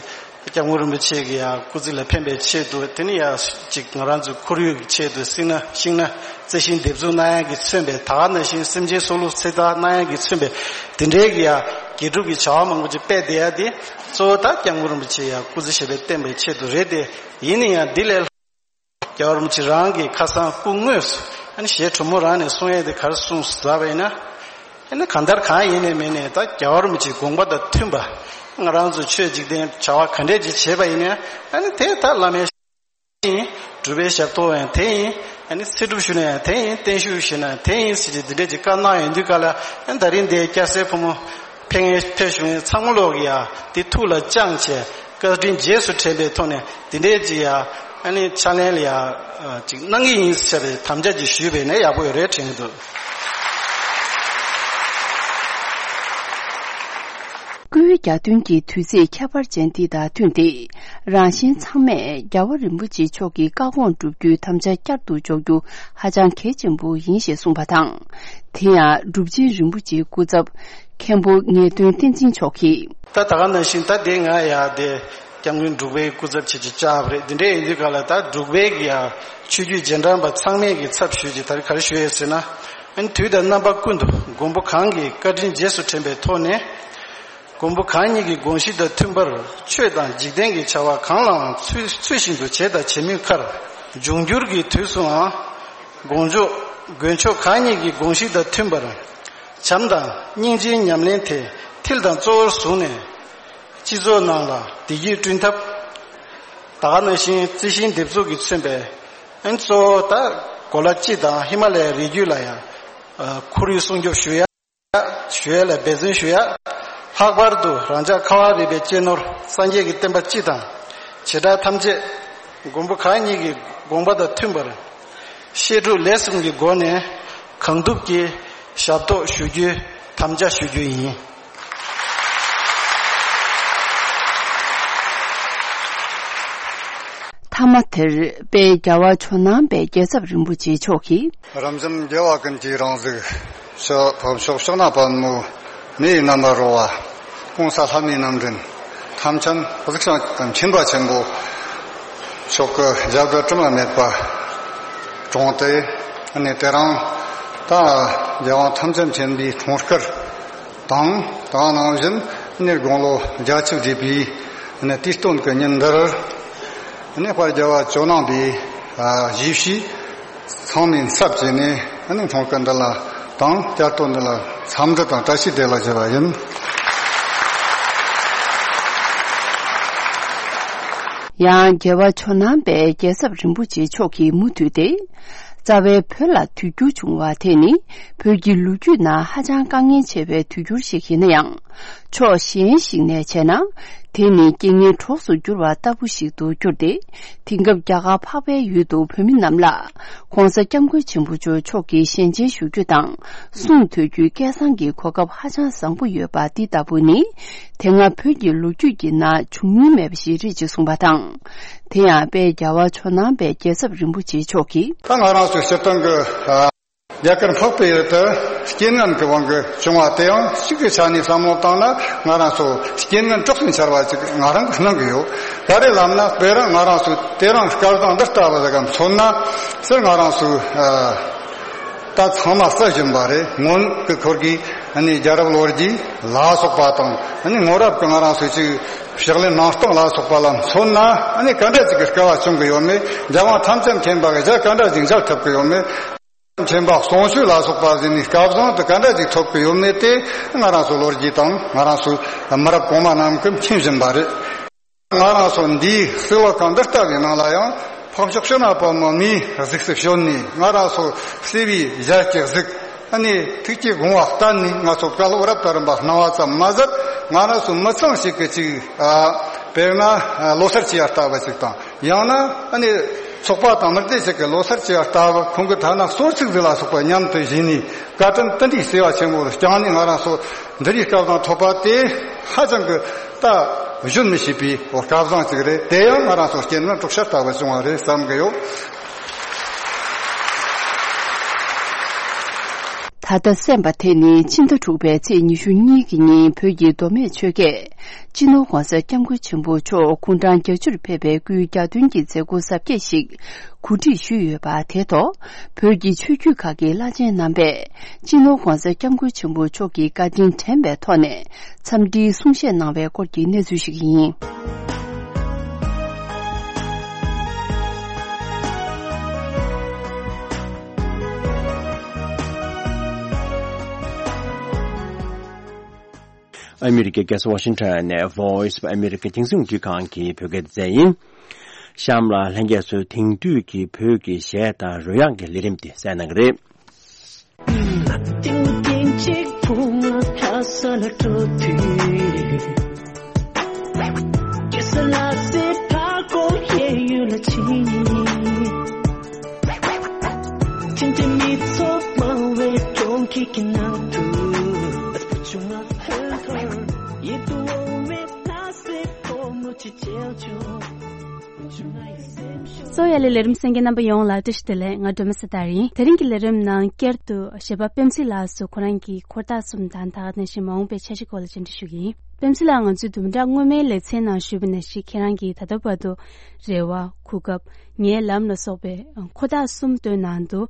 སྐྱབས་མགོན་རིན་པོ་ཆེ་གི་ཡ་སྐུ་ཚེ་ལ་ཕན་པའི་ཆེད་དུ་དེ་ནི་ཡ་གཅིག་ང་རང་ཚོའི་ཁོར་ཡུག་གི་ཆེད་དུ་སིང་ན་ཤིང་ན་རྩི་ཤིང་འདེབས་འཛུགས་གནང་ཡ་གི་མཚོན་པའི་ད་ག་ནང་བཞིན་སེམས་ཅན་སྲོག་ལུས་ཚེ་ཐར་གནང་ཡ་གི་མཚོན་པའི་དེ་འདྲའི་གི་ཡ་དགེ་སྒྲུབ་ཀྱི་བྱ་བ་མང་པོ་ཅིག་སྤེལ་བསྡད་ཡ་དེ་གཙོ་བོ་ད་སྐྱབས་མགོན་རིན་པོ་ཆེ་ཡ་སྐུ་ཚེ་ཞབས་པད་བརྟན་པའི་ཆེད་དུ་རེད་དེ། ཡིན་ན་ཡང་འདི་ལས་ལྷག་རྒྱལ་བ་རིན་པོ་ཆེ་རང་གི་ཁ་སང་སྐུ་དངོས་སུ་ཨ་ནི་ཞལ་དྲོན་མོ་རང་ནས་གསུང་ཡས་དེ་ག་རེ་གསུངས་སོང་ཟེར་བ་ཡིན་ན། ཨ་ནི་གང་ལྟར་གང་ཡིན་ནས་མིན་ནས་ད་རྒྱལ་བ་རིན་པོ་ཆེའི་དགོངས་པ་དང་མཐུན་པ་ང་རང་ཚོ་ཆོས་འཇིག་རྟེན་བྱ་བ་ག་འདྲས་ཅིག་བྱེད་པ་ཡིན་ན་ཨ་ནི་དེ་ད་བླ་མའི་ཡིན། སྒྲུབ་པའི་ཞབས་ཏོག་ཡང་དེ་ཡིན། ཨ་ནི་ཚེ་སྒྲུབ་ཞུ་ན་ཡང་དེ་ཡིན། བརྟན་བཞུགས་ཞུ་ན་ཡང་དེ་ཡིན་ཟེར་གྱི་འདི་འདྲས་ཀྱི་བཀའ་གནང་ཡོང་དུས་ག་ལ་ཨ་ནི་ད་རིང་འདིའི་སྐྱ་སེར་ཕོ་མོ་ཕེབས་མཁན་ཕེབས་བཞུགས་མཁན་ཚང་མ་ལོག་གི་ཡ་དེ་ཐུགས་ལ་བཅངས་བྱས་བཀའ་དྲིན་རྗེས་སུ་དྲན་པའི་ཐོག་ནས་འདི་འདྲས་ཀྱི་ཡ་ཨ་ནི་ཕྱག་ལེན་ལ་ཡ་ཅིག་གནང་གི་ཡིན་ཟེར་བའི་དམ་བཅའ་ཅིག་ཞུས་པས་ནས་ཡག་པོ་ཡོད་རེད་དྲན་གྱི་འདུག། སྐུའི་གྱ་སྟོན་གྱི་དུས་ཚིགས་ཁྱད་པར་ཅན་འདི་དང་བསྟུན་ཏེ། རང་གཞན་ཚང་མས་རྒྱལ་བ་རིན་པོ་ཆེ་མཆོག་གི་བཀའ་དགོངས་བསྒྲུབ་རྒྱུའི་དམ་བཅའ་བསྐྱར་དུ་འཇོག་རྒྱུ་ཧ་ཅང་གལ་ཆེན་པོ་ཡིན་ཞེས་གསུངས་པ་དང་། དེ་ཡང་གྲུབ་ཆེན་རིན་པོ་ཆེའི་སྐུ་ཚབ་མཁན་པོ་ངེས་དོན་བསྟན་འཛིན་མཆོག་གིས། ད་ད་ག་ནང་བཞིན་ད་དེ་ང་ཡ་དེ་སྐྱབས་མགོན་འབྲུག་པའི་སྐུ་ཚབ་བྱེད་ཀྱི་བཅར་བ་རེད། འདི་འདྲའི་ཡིན་དུས་ག་ལ་ད་འབྲུག་པའི་གི་ཡ་ཆོས་བརྒྱུད་རྗེས་འབྲང་པ་ཚང་མས་གི་ཚབ་ཞུས་ཀྱི་ད་རེས་ག་རེ་ཞུ་ཡས་ཟེར་ན། ཨ་ནི་དུས་དང་རྣམ་པ་ཀུན་ཏུ་མགོན་པོ་གང་གི་བཀའ་དྲིན་རྗེས་སུ་དྲན་པའི་ཐོག་ནས། མགོན་པོ་གང་ཉིད་ཀྱི་དགོངས་གཞི་དང་མཐུན་པར་ཆོས་དང་འཇིག་རྟེན་གྱི་བྱ་བ་གང་ལའང་ཚུལ་ཚུལ་བཞིན་དུ་བྱེད་དང་བྱེད་མུས་ཁར། འབྱུང་འགྱུར་གྱི་དུས་སུའང་དགོངས་ལྗོངས་མགོན་མཆོག་གང་ཉིད་ཀྱི་དགོངས་གཞི་དང་མཐུན་པར་བྱམས་དང་སྙིང་རྗེའི་ཉམས་ལེན་དེ་མཐིལ་དང་གཙོ་བོར་བཟུང་ནས་སྤྱི་ཚོགས་ནང་ལ་བདེ་སྐྱིད་བསྐྲུན་ཐབས། ད་ག་ནང་བཞིན་རྩི་ཤིང་འདེབས་འཛུགས་ཀྱིས་མཚོན་པའི་ཨན་གཙོ་བོ་ད་གོ་ལ་སྤྱི་དང་ཧི་མ་ལ་ཡའི་རི་རྒྱུད་ལ་ཡང་ཁོར་ཡུག་སྲུང་སྐྱོབ་ཞུ་ཡ། ཞུ་ཡ་ལ་འབད་བརྩོན་ཞུ་ཡ། ལྷག་པར་དུ་རང་ཅག་ཁ་བ་རི་པའི་གཅེས་ནོར་སངས་རྒྱས་ཀྱི་བསྟན་པ་སྤྱི་དང་བྱེ་བྲག་ཐམས་ཅད་མགོན་པོ་གང་ཉིད་ཀྱི་དགོངས་པ་དང་མཐུན་པར་བཤད་སྒྲུབ་ལས་གསུམ་གྱི་སྒོ་ནས་གང་ཐུབ་ཀྱིས་ཞབས་ཏོག་ཞུ་རྒྱུའི་དམ་བཅའ་ཞུ་རྒྱུ་ཡིན། ད་ མཐའ་མ་དེར་དཔལ་རྒྱལ་བ་ཇོ་ནང་པའི་རྒྱལ་ཚབ་རིན་པོ་ཆེ་མཆོག་གིས། རབ་འབྱམས་རྒྱལ་བ་ཀུན་གྱི་རང་གཟུགས། ཕྱོགས་ཕམ་ཕྱོགས་ཕྱོགས་ན་པདྨོ་མེ་ཡི་རྣམ་པར་རོལ་བ། གོང་ས་ལྷ་མིའི་རྣམ་འདྲེན་ཐམས་ཅད་གཟིགས་ཤིང་མཁྱེན་པ་ཆེན་པོ་མཆོག་གི་ཞབས་རྡུལ་དྲི་མ་མེད་པ་དྲངས་ཏེ། ཨ་ནི་དེ་རིང་ད་རྒྱལ་དབང་ཐམས་ཅད་མཁྱེན་པའི་འཁྲུངས་སྐར་དང་། དེ་ནང་བཞིན་ནི་དགུང་ལོ་བརྒྱད་ཅུ་བགྲེས་པའི་ནི་དུས་སྟོན་གྱི་ཉིན་འདིར། ནི་དཔལ་རྒྱལ་བ་ཇོ་ནང་པའི་ཨ་གཞིས་བྱེས་ཚང་མའི་ཚབ་བྱས་ནས་ནི་འཁྲུངས་སྐར་འདི་ལ་དང་བསྐྱར་དུ་འདི་ལ་འཚམས་འདྲི་དང་བཀྲ་ཤིས་བདེ་ལེགས་ཞུ་བ་ཡིན། ཡང་རྒྱལ་བ་ཇོ་ནང་པའི་རྒྱལ་ཚབ་རིན་པོ་ཆེ་མཆོག་གིས་མུ་མཐུད་དེ། རྩ་བའི་བོད་ལ་དུས་འགྱུར་བྱུང་བ་དེ་ནི་བོད་ཀྱི་ལོ་རྒྱུས་ནང་ཧ་ཅང་དཀའ་ངལ་ཆེ་བའི་དུས་འགྱུར་ཞིག་ཡིན་ན་ཡང་། ཕྱོགས་གཞན་ཞིག་ནས་བྱས་ན། དེ་ནི་རྐྱེན་ངན་གྲོགས་སུ་གྱུར་བ་ལྟ་བུ་ཞིག་ཏུ་གྱུར་ཏེ། དེང་སྐབས་རྒྱ་གར་འཕགས་པའི་ཡུལ་དུ་བོད་མི་རྣམས་ལ་༸གོང་ས་༸སྐྱབས་མགོན་ཆེན་པོ་མཆོག་མཆོག་གི་ཞལ་མཇལ་ཞུ་རྒྱུ་དང་གསུང་ཐོས་རྒྱུའི་སྐལ་བཟང་གི་གོ་སྐབས་ཧ་ཅང་བཟང་པོ་ཡོད་པ་འདི་ལྟ་བུ་ནི། དེ་སྔ་བོད་ཀྱི་ལོ་རྒྱུས་ཀྱི་ནང་བྱུང་མྱོང་མེད་པ་ཞིག་རེད་ཅེས་གསུངས་པ་དང་། དེ་ཡང་དཔལ་རྒྱལ་བ་ཇོ་ནང་པའི་རྒྱལ་ཚབ་རིན་པོ་ཆེ་མཆོག་གིས། ད་ང་རང་ཚོའི་སྤྱིར་བཏང་གི་ཨ་རྒྱ་གར་འཕགས་པའི་ཡུལ་དུ་རྐྱེན་ངན་གྱི་དབང་གིས་བྱུང་བ་དེའང་གཅིག་གི་ཆ་ནས་བསམ་བློ་བཏང་ན། ང་རང་ཚོ་རྐྱེན་ངན་གྲོགས་སུ་འཆར་བ་ཅིག་ང་རང་གིས་སྣང་གི་ཡོད། ག་རེ་ལབ་ན། དཔེར་ན་ང་རང་ཚོའི་དེ་རིང་སྐལ་བཟང་འདི་ལྟ་བུ་ཟིག་གམ་མཚོན་ན། ཟེར་ང་རང་ཚོའི་ཨ་ད་ཚང་མ་བསུ་བཞིན་པ་རེད། སྔོན་གྱི་ཁོར་གི་ཨ་ནི་རྒྱལ་རབས་ལོ་རྒྱུས་ལ་སོགས་པ་དང་། ཨ་ནི་སྔོན་རབས་ཀྱི་ང་རང་ཚོའི་ཅིག་ཕྱག་ལེན་གནང་སྟངས་ལ་སོགས་པ་ལ་མཚོན་ན། ཨ་ནི་ག་འདྲ་ཅིག་གི་སྐལ་བ་བྱུང་གི་ཡོད་མེད། རྒྱལ་དབང་ཐམས་ཅད་མཁྱེན་པ་གི་ཞལ་ག་འདྲ་ཅིག་མཇལ་ཐུབ་ཀྱི་ཡོད་མེད། མཁྱེན་པ་གསུང་ཆོས་ལ་སོགས་པ་ཟིན་ནས་སྐལ་བཟང་དུ་ག་འདྲ་ཅིག་ཐོབ་ཀྱི་ཡོད་མེད་དེ། ང་རང་ཚོ་ལོ་རྒྱུས་དང་ང་རང་ཚོ་མི་རབས་གོང་མ་རྣམས་ཀྱིས་མཁྱེན་བཞིན་པ་རེད། ང་རང་ཚོ་འདིའི་གཙུག་ལག་ཁང་འདི་ལྟ་བུའི་ནང་ལ་ཡང་ཕག་ཕྱོགས་ཕྱོགས་ན་པདྨོ་མིའི་གཟུགས་སུ་བྱོན་ནས། ང་རང་ཚོ་བསིལ་བའི་ཞལ་གྱི་གཟུགས། ཨ་ནི་ཐུགས་ཀྱི་དགོངས་པ་བསྟན་ནས། ང་ཚོ་བཀའ་སློབ་རབ་དང་རིམ་པ་གནང་བ་ཙམ་མ་ཟད། ང་རང་ཚོ་མི་ཚང་ཞིག་གི་ཅིག་ཨ་དཔེར་ན་ཨ་ལོ་གསར་བྱེད་ཡ་ལྟ་བུ་ཞིག་དང་། ཡང་ན་ཨ་ནི་ཚོགས་པ་དང་མི་སྡེ་ཞིག་གི་ལོ་གསར་བྱེད་ཡ་ལྟ་བུ། ཁོང་གི་ཐ་ན་གསོལ་ཚིགས་ཟིག་ལ་སོགས་པ་མཉམ་དུ་བཞེས་ནས། བཀའ་དྲིན་དེ་འདྲའི་བརྩེ་བ་ཆེན་པོ་བསྐྱངས་ནས་ང་རང་ཚོ་འདི་རིགས་སྐལ་བཟང་ཐོབ་པ་དེ་ཧ་ཅང་གི་ད་གཞོན་མི་ཤེས་པའི་སྐལ་བཟང་ཅིག་རེད། དེ་ཡང་ང་རང་ཚོ་རྐྱེན་ངན་གྲོགས་ཤར་ལྟ་བུ་བྱུང་བ་རེད་བསམ་གི་ཡོད། ད་ལྟ་གསན་པ་དེ་ནི་ཕྱི་ཟླ་དྲུག་པའི་ཚེས་ཉི་ཤུ་གཉིས་ཀྱི་ཉིན་བོད་ཀྱི་མདོ་སྨད་ཆོལ་ཁས་སྤྱི་ནོར་༸གོང་ས་༸སྐྱབས་མགོན་ཆེན་པོ་མཆོག་སྐུ་འཕྲེང་བརྒྱད་ཅུར་ཕེབས་པའི་སྐུའི་གྱ་སྟོན་གྱི་མཛད་སྒོ་གཟབ་རྒྱས་ཤིག་གོ་སྒྲིག་ཞུས་ཡོད་པ་དེ་ཐོག་བོད་ཀྱི་ཆོས་བརྒྱུད་ཁག་གི་བླ་ཆེན་རྣམ་པས་སྤྱི་ནོར་༸གོང་ས་༸སྐྱབས་མགོན་ཆེན་པོ་མཆོག་གི་བཀའ་དྲིན་དྲན་པའི་ཐོག་ནས་འཚམས་འདྲིའི་གསུང་བཤད་གནང་བའི་སྐོར་གྱི་གནས་ཚུལ་ཞིག་ཡིན། ཨ་མི་རི་ཀའི་རྒྱལ་ས་ཝ་ཤིང་ཊོན་ནས་Voice of America རྒྱང་སྲིང་རླུང་འཕྲིན་ཁང་གི་བོད་སྐད་སྡེ་ཚན་ཡིན། གཤམ་ལ་ལྷན་རྒྱས་ཚོས་དེང་དུས་ཀྱི་བོད་ཀྱི་གཞས་དང་རོལ་དབྱངས་ཀྱི་ལས་རིམ་དེ་གསན་གནང་གི་རེད། གསོ་ཡ་ལི་ལས་རིམ་གསན་མཁན་རྣམ་པ་ཡོངས་ལ་བཀྲ་ཤིས་བདེ་ལེགས། ང་སྒྲོལ་མ་སེ་ཐར་ཡིན། དེ་རིང་གི་ལས་རིམ་ནང་བསྐྱར་དུ་གཞས་པ་པེམ་སི་ལགས་སུ་ཁོ་རང་གི་འཁོར་ཐག་གསུམ་དང་ད་ག་ནང་བཞིན་མ་འོངས་པའི་འཆར་གཞི་སྐོར་ལ་བཅར་འདྲི་ཞུ་གི་ཡིན། པེམ་སི་ལགས། ང་ཚོས་བདུན་ཕྲག་སྔོན་མའི་ལེ་ཚན་ནང་ཞུས་པ་ནང་བཞིན་ཁྱེད་རང་གིས་ད་ལྟ་བར་དུ་རེ་བ། གོ་སྐབས། ངའི་ལམ་ལ་སོགས་པའི་འཁོར་ཐག་གསུམ་བཏོན་གནང་འདུག་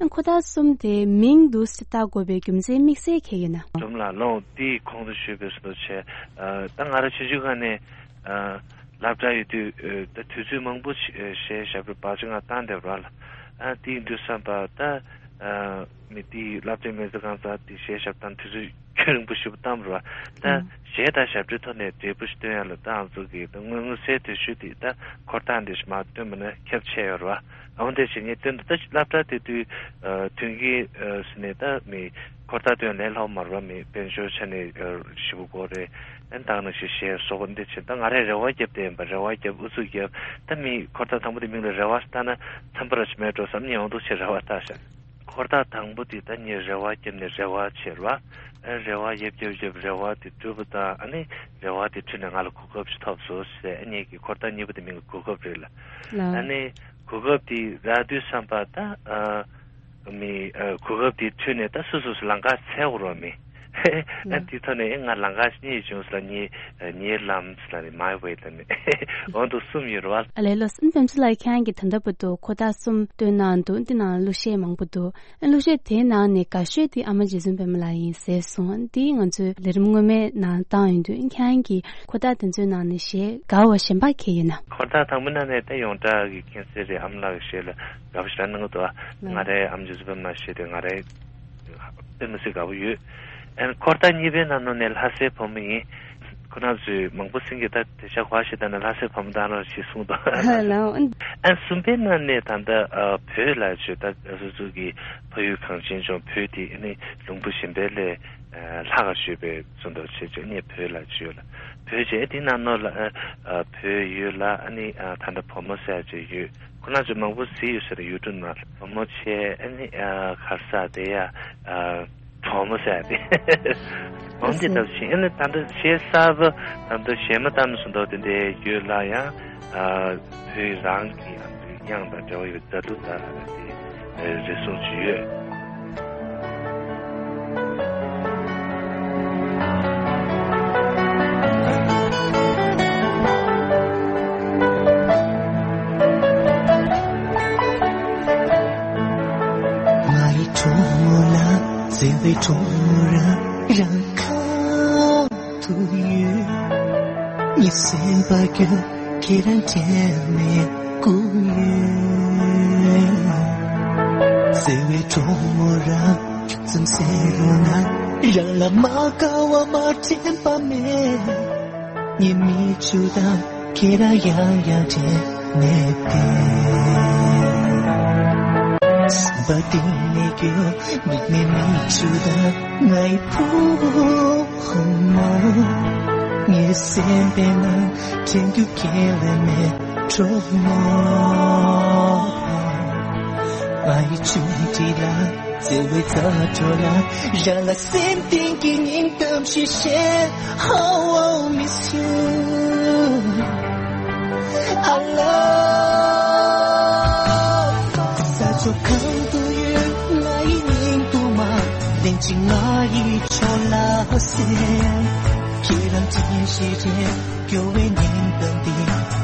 འཁོར་ཐག་གསུམ་དེ་མིང་འདི་བཏགས་དགོས་པའི་རྒྱུ་མཚན་དམིགས་བསལ་གང་ཡོད་ན། སྒྲོལ་མ་ལགས། ལོ་འདིའི་གོང་དུ་ཞུས་པའི་བཟོ་འདྲ་བྱས། ཨ་ད་ང་རང་ཆུང་ཆུང་སྒང་ནས་ཨ་སློབ་གྲྭ་ཡོད་དུས་ཨ་ད་དུས་ཚོད་མང་པོ་ཞིག་ཨ་གཞས་ཞབས་བྲོ་བག་ཆགས་ངང་བཏང་བསྡད་པ་རེད་ལ། ཨ་དེ་ཡིན་དུས་བསམ་པ་ད་ཨ་མི་དེའི་སློབ་གྲྭའི་མི་ཚོ་གང་ཟག་དེ་གཞས་ཞབས་བཏང་དུས་ཚོད་རྒྱུན་རིང་པོ་ཞེ་པོ་བཏང་བ་རེད་བ། ད་ཨ་གཞས་དང་ཞབས་བྲོའི་ཐོག་ནས་འབྲས་བུ་ཞིག་སྟོན་ཡ་ལ་ད་ང་ཚོ་གིས་ད་སྔོན་མངོན་གསལ་དོད་ཤོས་དེ་ད་འཁོར་ཐག་འདི་ཞིག་མར་བཏོན་པ་ན་ཁྱབ་ཆེ་ཡོད་རེད་བ། འོན་ཏེ་བྱས་ངས་སྟོན་དུས་ད་སློབ་གྲྭ་དེ་དུས་ཨ་མཐུན་རྐྱེན་ཨ་ཟེར་ནས་ད་མི་འཁོར་ཐག་སྟོན་ལས་སླ་པོ་མ་རེད་བ། མི་དཔལ་འབྱོར་ཆ་ནས་ཨ་ཞེ་པོ་དགོས་རེད། ཨ་ད་ག་ནང་བཞིན་གཞས་བཟོ་དགོས་འདི་བྱས། ད་ང་རས་རེ་བ་བརྒྱབ་བསྡད་ཡིན་པ། རེ་བ་བརྒྱབ་ཨུ་ཚུགས་བརྒྱབ། ད་མི་འཁོར་ཐག་དང་པོ་དེ་མིང་ལ་རེ་བ་ཟེར་བཏགས་ན་འཚམས་པ་ར་ཅིག་མེད་འགྲོ་བསམ་ནས་ཡོང་འདུག་བྱས་རེ་བ་བཏགས་ཤག་འཁོར་ཐག་དང་པོ་དེ་ད་ངས་རེ་བ་བརྒྱབ་ནས་རེ་བ་བྱས་ར། ཨ་རེ་བ་བརྒྱབ་བརྒྱབ་བརྒྱབ་རེ་བ་དེ་གྲུབ་པ་དང་ཨ་ནི་རེ་བ་དེ་འཁྲུལ་ནས་ང་ལ་གོ་སྐབས་ཤིག་ཐོབ་སོང་ཟེར། ཨ་ངས་ཀྱི་འཁོར་ཐག་གཉིས་པ་དེ་མིང་གི་གོ་སྐབས་རེད་ལ། ལགས། ཨ་ནི་གོ་སྐབས་དེ་རག་དུས་ཙམ་པ་ད་ཨ། མི་ཨ་གོ་སྐབས་དེ་འཁྲུལ་ནས་ད་སོ་སོ་སོ་ལམ་ཁ་འཚོལ་དགོས་རེད་མི། ཨ་ལགས། དེ་ཐོག་ནས་ཨེ་ང་ལམ་ཁ་གཉིས་བྱུང་ཟེར་ལ། ངའི་ཨ་ངའི་ལམ་ཟེར་ལ་ནི་མའི་ཝེ་ལ་ནི་འོ་འདུག་གསུམ་ཡོད་རེད་བ། ཨ་ལས། ལགས་སོ། ཨ་ནི་པད་མ་ལགས་ཁྱེད་རང་གིས་ད་ལྟ་བར་དུ་འཁོར་ཐག་གསུམ་བཏོན་གནང་འདུག་འདི་ནང་གླུ་གཞས་མང་པོ་འདུག་ཨ་གླུ་གཞས་དེའི་ནང་ནས་དགའ་ཤོས་དེ་ཨ་མ་རྗེ་བཙུན་པད་མ་ལགས་ཡིན་ཟེར་སོང་། འདི་ང་ཚོའི་ལས་རིམ་སྔོན་མའི་ནང་བཏང་ཡོད་དུས་ཁྱེད་རང་གིས་འཁོར་ཐག་དེ་ཚོའི་ནང་ནས་གཞས་དགའ་བ་གཞན་པ་གང་ཡིན་ན། འཁོར་ཐག་དང་པོའི་ནང་ནས་ད་ཡོངས་གྲགས་ཀྱི་མཁྱེན་གསལ་རེད། ཨ་མ་ལགས་ཀྱི་གཞས་ལ་དགའ་པོ་ཞེ་དྲག་གནང་གི་འདུག་ཨ་ང་རའི་ཨ་མ་རྗེ་བཙུན་པད་མ་གཞས་དེ་ང་རའི་དཔེ་མི་སྲིད་དགའ་པོ་ཡོད། ཨན་འཁོར་ཐག་གཉིས་པའི་ནང་ནང་ནས་ལྷ་སའི་བུ་མོ་ཡིན། ཁོ་རང་ཚོས་མང་པོ་སེང་གེ་ད་དེ་ཤ་གོ་ཞེ་ད་ན་ལྷ་སའི་བུ་མོ་ད་རང་ཞིག་གསུངས་འདུག་ལགས། ཨན་གསུམ་པའི་ནང་ནས་ད་ལྟ་ཨ་བོད་ལ་བྱོས་ད་སོ་སོ་གི་ཕ་ཡུལ་གངས་ཅན་ལྗོངས་བོད་དེ་ཨ་ནི་ལུང་པ་གཞན་པའི་ལས་ལྷག་ག་ཞུས་པའི་ཚོ་འདུག་བྱས་བྱས་ཨ་ནི་བོད་ལ་བྱོས་ལ། བོད་བྱས་དེ་ནང་ནང་ལ་ཨ་བོད་ཡུལ་ལ་ཨ་ནི་ཨ་ད་ལྟ་བུ་མོ་ཟེར་ཡ་ཅིག་ཡོད། ཁོ་རང་ཚོས་མང་པོ་གཟིགས་ཡོད་ས་རེད། ཡུ་ཊུབ་ནང་ལ་བུ་མོ་བྱས་ཨ་ནི་ཨ་ག་རེ་ཟེར་དེ་ཡ་ཨ་གྲོགས་མོ་ཟེར་ཡ་དེ། འོན་ཏེ་ད་བཞིན་ཨ་ནི་ད་ལྟ་གཞས་གསར་པ་ད་ལྟ་གཞས་མ་བཏང་ནས་སུ་འདུག་དེ་འདྲའི་ཡོད་ལ་ཡང་ཨ་བོད་རང་གི་དབྱངས་དང་འབྲེལ་བ་ཡོད་ད་དུ་ད་དེ་རེ་ཟུང་ཅིག་ཡོད། ང་ཡི་གྲོགས་མོ་ལ་བརྩེ་བའི་གྲོགས་མོ་རང་རང་ཁ་ཐུག་ཡོད། ངའི་སེམས་པ་རྒྱུད་ཁྱེད་རང་དྲན་ནས་སྒུག་ཡོད། བརྩེ་བའི་གྲོགས་མོ་རང་ཁྱོད་ཙམ་ཟེར་རོགས་གནང་། རང་ལ་མ་དགའ་བ་མ་དྲན་པ་མེད། ངའི་མིག་ཆུ་དང་ཁྱེད་རང་ཡང་ཡང་དྲན་ནས་བསྡད། སེམས་པ་གཏིང་ནས་སྐྱོ། མིག་ནས་མིག་ཆུ་དང་ངའི་བུ་མོ། ངའི་སེམས་པའི་ནང་དྲན་རྒྱུ་ཁྱེད་ལས་མེད་གྲོགས་མོ། ང་ཡི་ཆུང་འདྲིས་ལ། བརྩེ་བའི་རྩ་བྲོ་ལ། རང་ལ་སེམས་གཏིང་གི་སྙིང་གཏམ་ཞིག་བཤད། How I miss you. I love. ས་ཕྱོགས་གང་དུ་ཡོད་ང་ཡི་སྙིང་དུ་མ། ལན་གཅིག་ང་ཡི་ཕྱོགས་ལ་གསན། ཁྱེད་རང་དྲན་ཞེས་དྲན། སྐྱོ་བའི་སྙིང་གཏམ་འདི་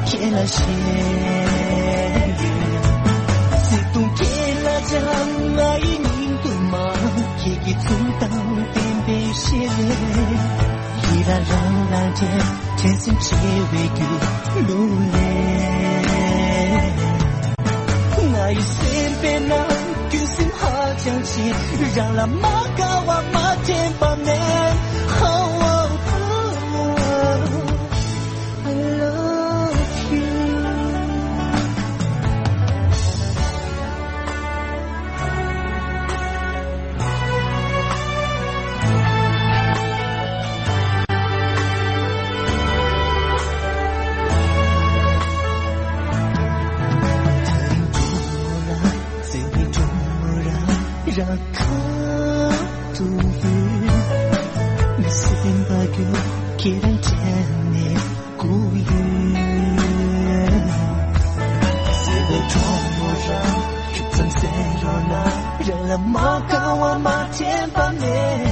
ཁྱེད་ལ་བཤད་ཡོད། བརྩེ་དུང་ཁྱེད་ལ་སྦྱང་། ང་ཡི་སྙིང་དུ་མ། ཁྱེད་ཀྱི་འཛུམ་མདངས་བསྟན་པའི་ཞལ་ལས། ཡིད་ལ་རང་ལ་དྲན། དྲན་སེམས་བརྗེ་བའི་སྒྱུ་ལུག་ལས། ང་ཡི་སེམས་པའི་ནང་རྒྱུ་སེམས་ཧ་ཅང་ཆེ། རང་ལ་མ་དགའ་བ་མ་དྲན་པ་མེད། How I love you. རང་ཁ་ཐུག་ཡོད། མི་སེམས་པ་རྒྱུད་ཁྱེད་རང་དྲན་ནས་སྒུག་ཡོད། བརྩེ་བའི་གྲོགས་མོ་རང་ཁྱོད་ཙམ་ཟེར་རོགས་གནང་། རང་ལ་མ་དགའ་བ་མ་དྲན་པ་མེད།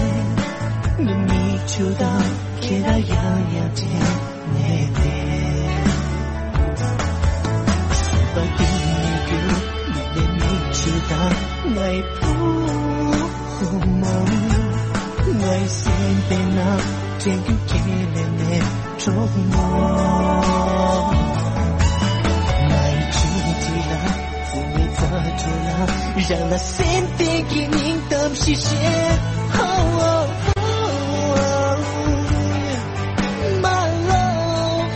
ངའི་མིག་ཆུ་དང་ཁྱེད་རང་ཡང་ཡང་དྲན་ནས་བསྡད། སེམས་པ་གཏིང་ནས་སྐྱོ། མིག་ནས་མིག་ཆུ་དང་ངའི་བུ་མོ། ངའི་སེམས་པའི་ནང་དྲན་རྒྱུ་ཁྱེད་ལས་མེད་གྲོགས་མོ། ངའི་ཆུང་འདྲིས་ལ། བརྩེ་བའི་རྩ་བྲོ་ལ། རང་ལ་སེམས་གཏིང་གི་སྙིང་གཏམ་ཞིག་བཤད། Oh, oh, oh, oh. My love,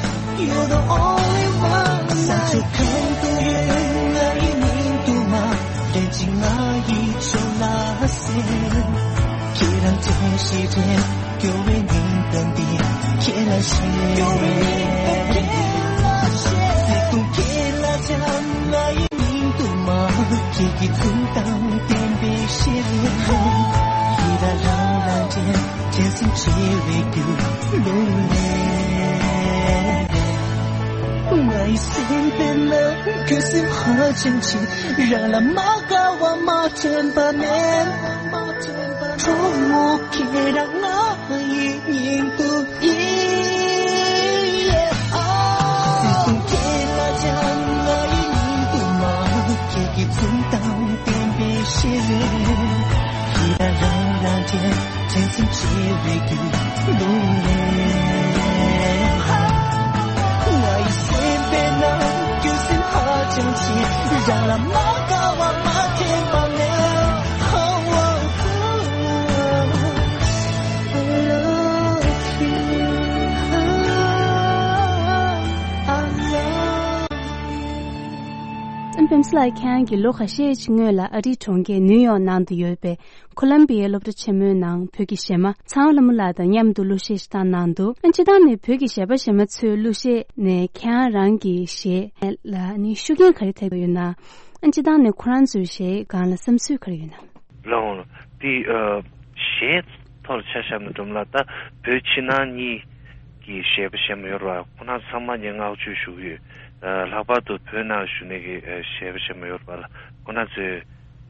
you're the only one. ས་ཕྱོགས་གང་དུ་ཡོད་ང་ཡི་སྙིང་དུ་མ། ལན་གཅིག་ང་ཡི་ཕྱོགས་ལ་གསན། ཁྱེད་རང་དྲན་ཞེས་དྲན། སྐྱོ་བའི་སྙིང་གཏམ་འདི་ཁྱེད་ལ་བཤད། སྐྱོ་བའི་སྙིང་གཏམ་ཁྱེད་ལ་བཤད། བརྩེ་དུང་ཁྱེད་ལ་སྦྱང་། ང་ཡི་སྙིང་དུ་མ། ཁྱེད་ཀྱི་འཛུམ་མདངས་བསྟན་པའི་ཤེས་རབ། ཡིད་ལ་རང་རང་དྲན་དྲན་སེམས་བྱེ་བའི་རྒྱུ་ལུང་ནས། ང་ཡི་སེམས་པའི་ནང་ཁྱོད་སེམས་ཧ་ཅང་ཆེ། རང་ལ་མ་དགའ་བ་མ་དྲན་པ་མེད། གྲོགས་མོ་ཁྱེད་རང་ང་ཡི་སྙིང་དུ་ཡིན། སྲིད་གསུམ་ཁྱེད་ལ་སྦྱངས་ང་ཡི་སྙིང་དུ་མ། ཁྱེད་ཀྱི་འཛུམ་མདངས་བསྟན་པའི་ཤེས་རབ། ཡིད་ལ་རང་རང་དྲན་དྲན་སེམས་བྱེ་བའི་རྒྱུ་ལུང་ནས། ང་ཡི་སེམས་པའི་ནང་ཁྱོད་སེམས་ཧ་ཅང་ཆེ། རང་ལ་མ་དགའ་བ་མ་དྲན་པ་མེད། ཨན་པེམ་སི་ལགས། ཁྱེད་རང་གིས་ལོ་ཁ་ཤས་ཤིག་སྔོན་ལ་ཨ་རིའི་གྲོང་ཁྱེར་ནིའུ་ཡོག་ནང་དུ་ཡོད་པའི་ཁོ་ལམ་བི་ཡའི་སློབ་གྲྭ་ཆེན་མོའི་ནང་བོད་ཀྱི་གཞས་མ་ཚངས་དབང་ལྷ་མོ་ལགས་དང་མཉམ་དུ་གླུ་གཞས་ཤིག་བཏང་གནང་འདུག་ཨ་སྤྱིར་བཏང་ནས་བོད་ཀྱི་གཞས་པ་གཞས་མ་ཚོའི་གླུ་གཞས་ནས་ཁྱེད་རང་རང་གི་གཞས་ལ་ནི་ཤུགས་རྐྱེན་ག་རེ་ཐེབས་ཡོད་ན། ཨ་སྤྱིར་བཏང་ནས་ཁོ་རང་ཚོའི་གཞས་སྒང་ལ་བསམ་ཚུལ་ག་རེ་ཡོད་ན། ལགས་འོང་། དེ་ཨ་གཞས་ཐོག་ལ་ཆ་བཞག་ན་སྒྲོལ་མ་ལགས། ད་བོད་ཕྱི་ནང་གཉིས་ཀྱི་གཞས་པ་གཞས་མ་ཡོད་རེད་པ། ཁོང་རྣམ་ཚང་མ་ངས་བསྔགས་བརྗོད་ཞུ་གི་ཡོད། ཨ་ལྷག་པར་དུ་བོད་ནང་བཞུགས་མཁན་གྱི་ཨ་གཞས་པ་གཞས་མ་ཡོད་རེད་པ་ལགས། ཁོང་རྣམ་ཚོས་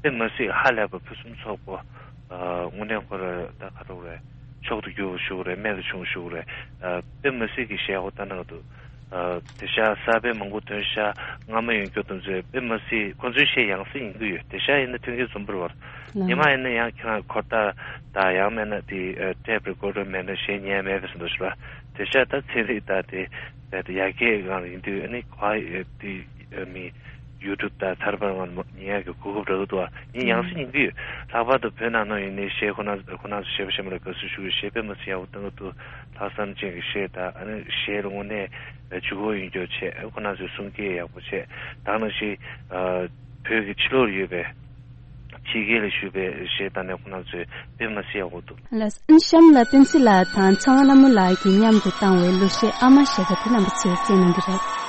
དཔེ་མ་སྲིད་ཧ་ལས་པ་ཕུན་སུམ་ཚོགས་པོ། ཨ་དངོས་གནས་ཁོ་རང་ད་ག་རེ་ཟེར་དགོས་རེད། མཆོག་ཏུ་གྱུར་པ་ཞུ་དགོས་རེད། རྨད་དུ་བྱུང་ཞུ་དགོས་རེད། ཨ་དཔེ་མ་སྲིད་ཀྱི་གཞས་ཁོ་ལྟ་ན་འདུག་ཨ་དེང་སང་གསར་པ་མང་པོ་ཐོན་ཤག་སྔ་མ་ཡོད་མཁན་དེ་ཚོས་དཔེ་མ་སྲིད་ཁོ་ཚོའི་གཞས་ཡང་སེ་ཡིན་གྱི་ཡོད། དེང་སང་ཡིན་ན་ཐོན་གྱི་རྩོམ་པ་རེད་པ། ལགས། ཉི་མ་ཡིན་ན་ཡང་ཁྱེད་རང་འཁོར་ཐག་དང་། ཡང་མིན་ན་དེ་ཨ་ཊེབ་རི་ཀོར་ཌར་མེད་ན་གཞས་ཉན་ཡ་མེད་པའི་བཟོ་འདྲ་ཞིག་རེད་པ། དེང་སང་ད་ཚན་རིག་དང་དེ་ད་དེ་ཡར་རྒྱས་སྒང་ལ་ཡིན་དུས། ཨ་ནི་ག་ཨ་དེ་ཨ་མི་ཡུ་ཊུབ་དང་ཚར་པར་ང་ཉན་ཡག་གི་གོ་སྐབས་རག་གི་འདུག་ཨ་ཡིན་ཡང་སེ་ཡིན་གྱི་ཡོད། ལྷག་པར་དུ་བོད་ནང་ནང་ཡིན་ནའི་གཞས་ཁོ་ན་ཁོ་ན་ཚོ་གཞས་པ་གཞས་མ་ལ་དགའ་བསུ་ཞུ་གི་ཡོད། གཞས་དཔེ་མ་སྲིད་ཡག་པོ་གཏོང་གི་འདུག་ལྷག་བསམ་ཅན་གྱི་གཞས་དང་། ཨ་ནི་གཞས་ལ་དངོས་གནས་ལྗིད་ཁོག་ཡོད་རྒྱུ་བྱས། ཁོ་ན་ཚོའི་གསུང་སྐད་ཡག་པོ་བྱས། ད་ནང་བཞིན་ཨ་བོད་ཀྱི་ཕྱི་ལོགས་ལ་ཡོད་པའི་ཕྱི་རྒྱལ་ལ་བཞུགས་པའི་གཞས་དང་ནས་ཁོ་ན་ཚོས་དཔེ་མ་སྲིད་ཡག་པོ་འདུག་ལགས། གཤམ་ལ་པེན་སི་ལགས་དང་ཚངས་དབང་ལྷ་མོ་ལགས་ཀྱིས་མཉམ་དུ་བཏང་བའི་གླུ་གཞས་ཨ་མ་ཞེས་པ་དེ་རྣམ་པ་ཚོས་གསན་གནང་གི་རེད།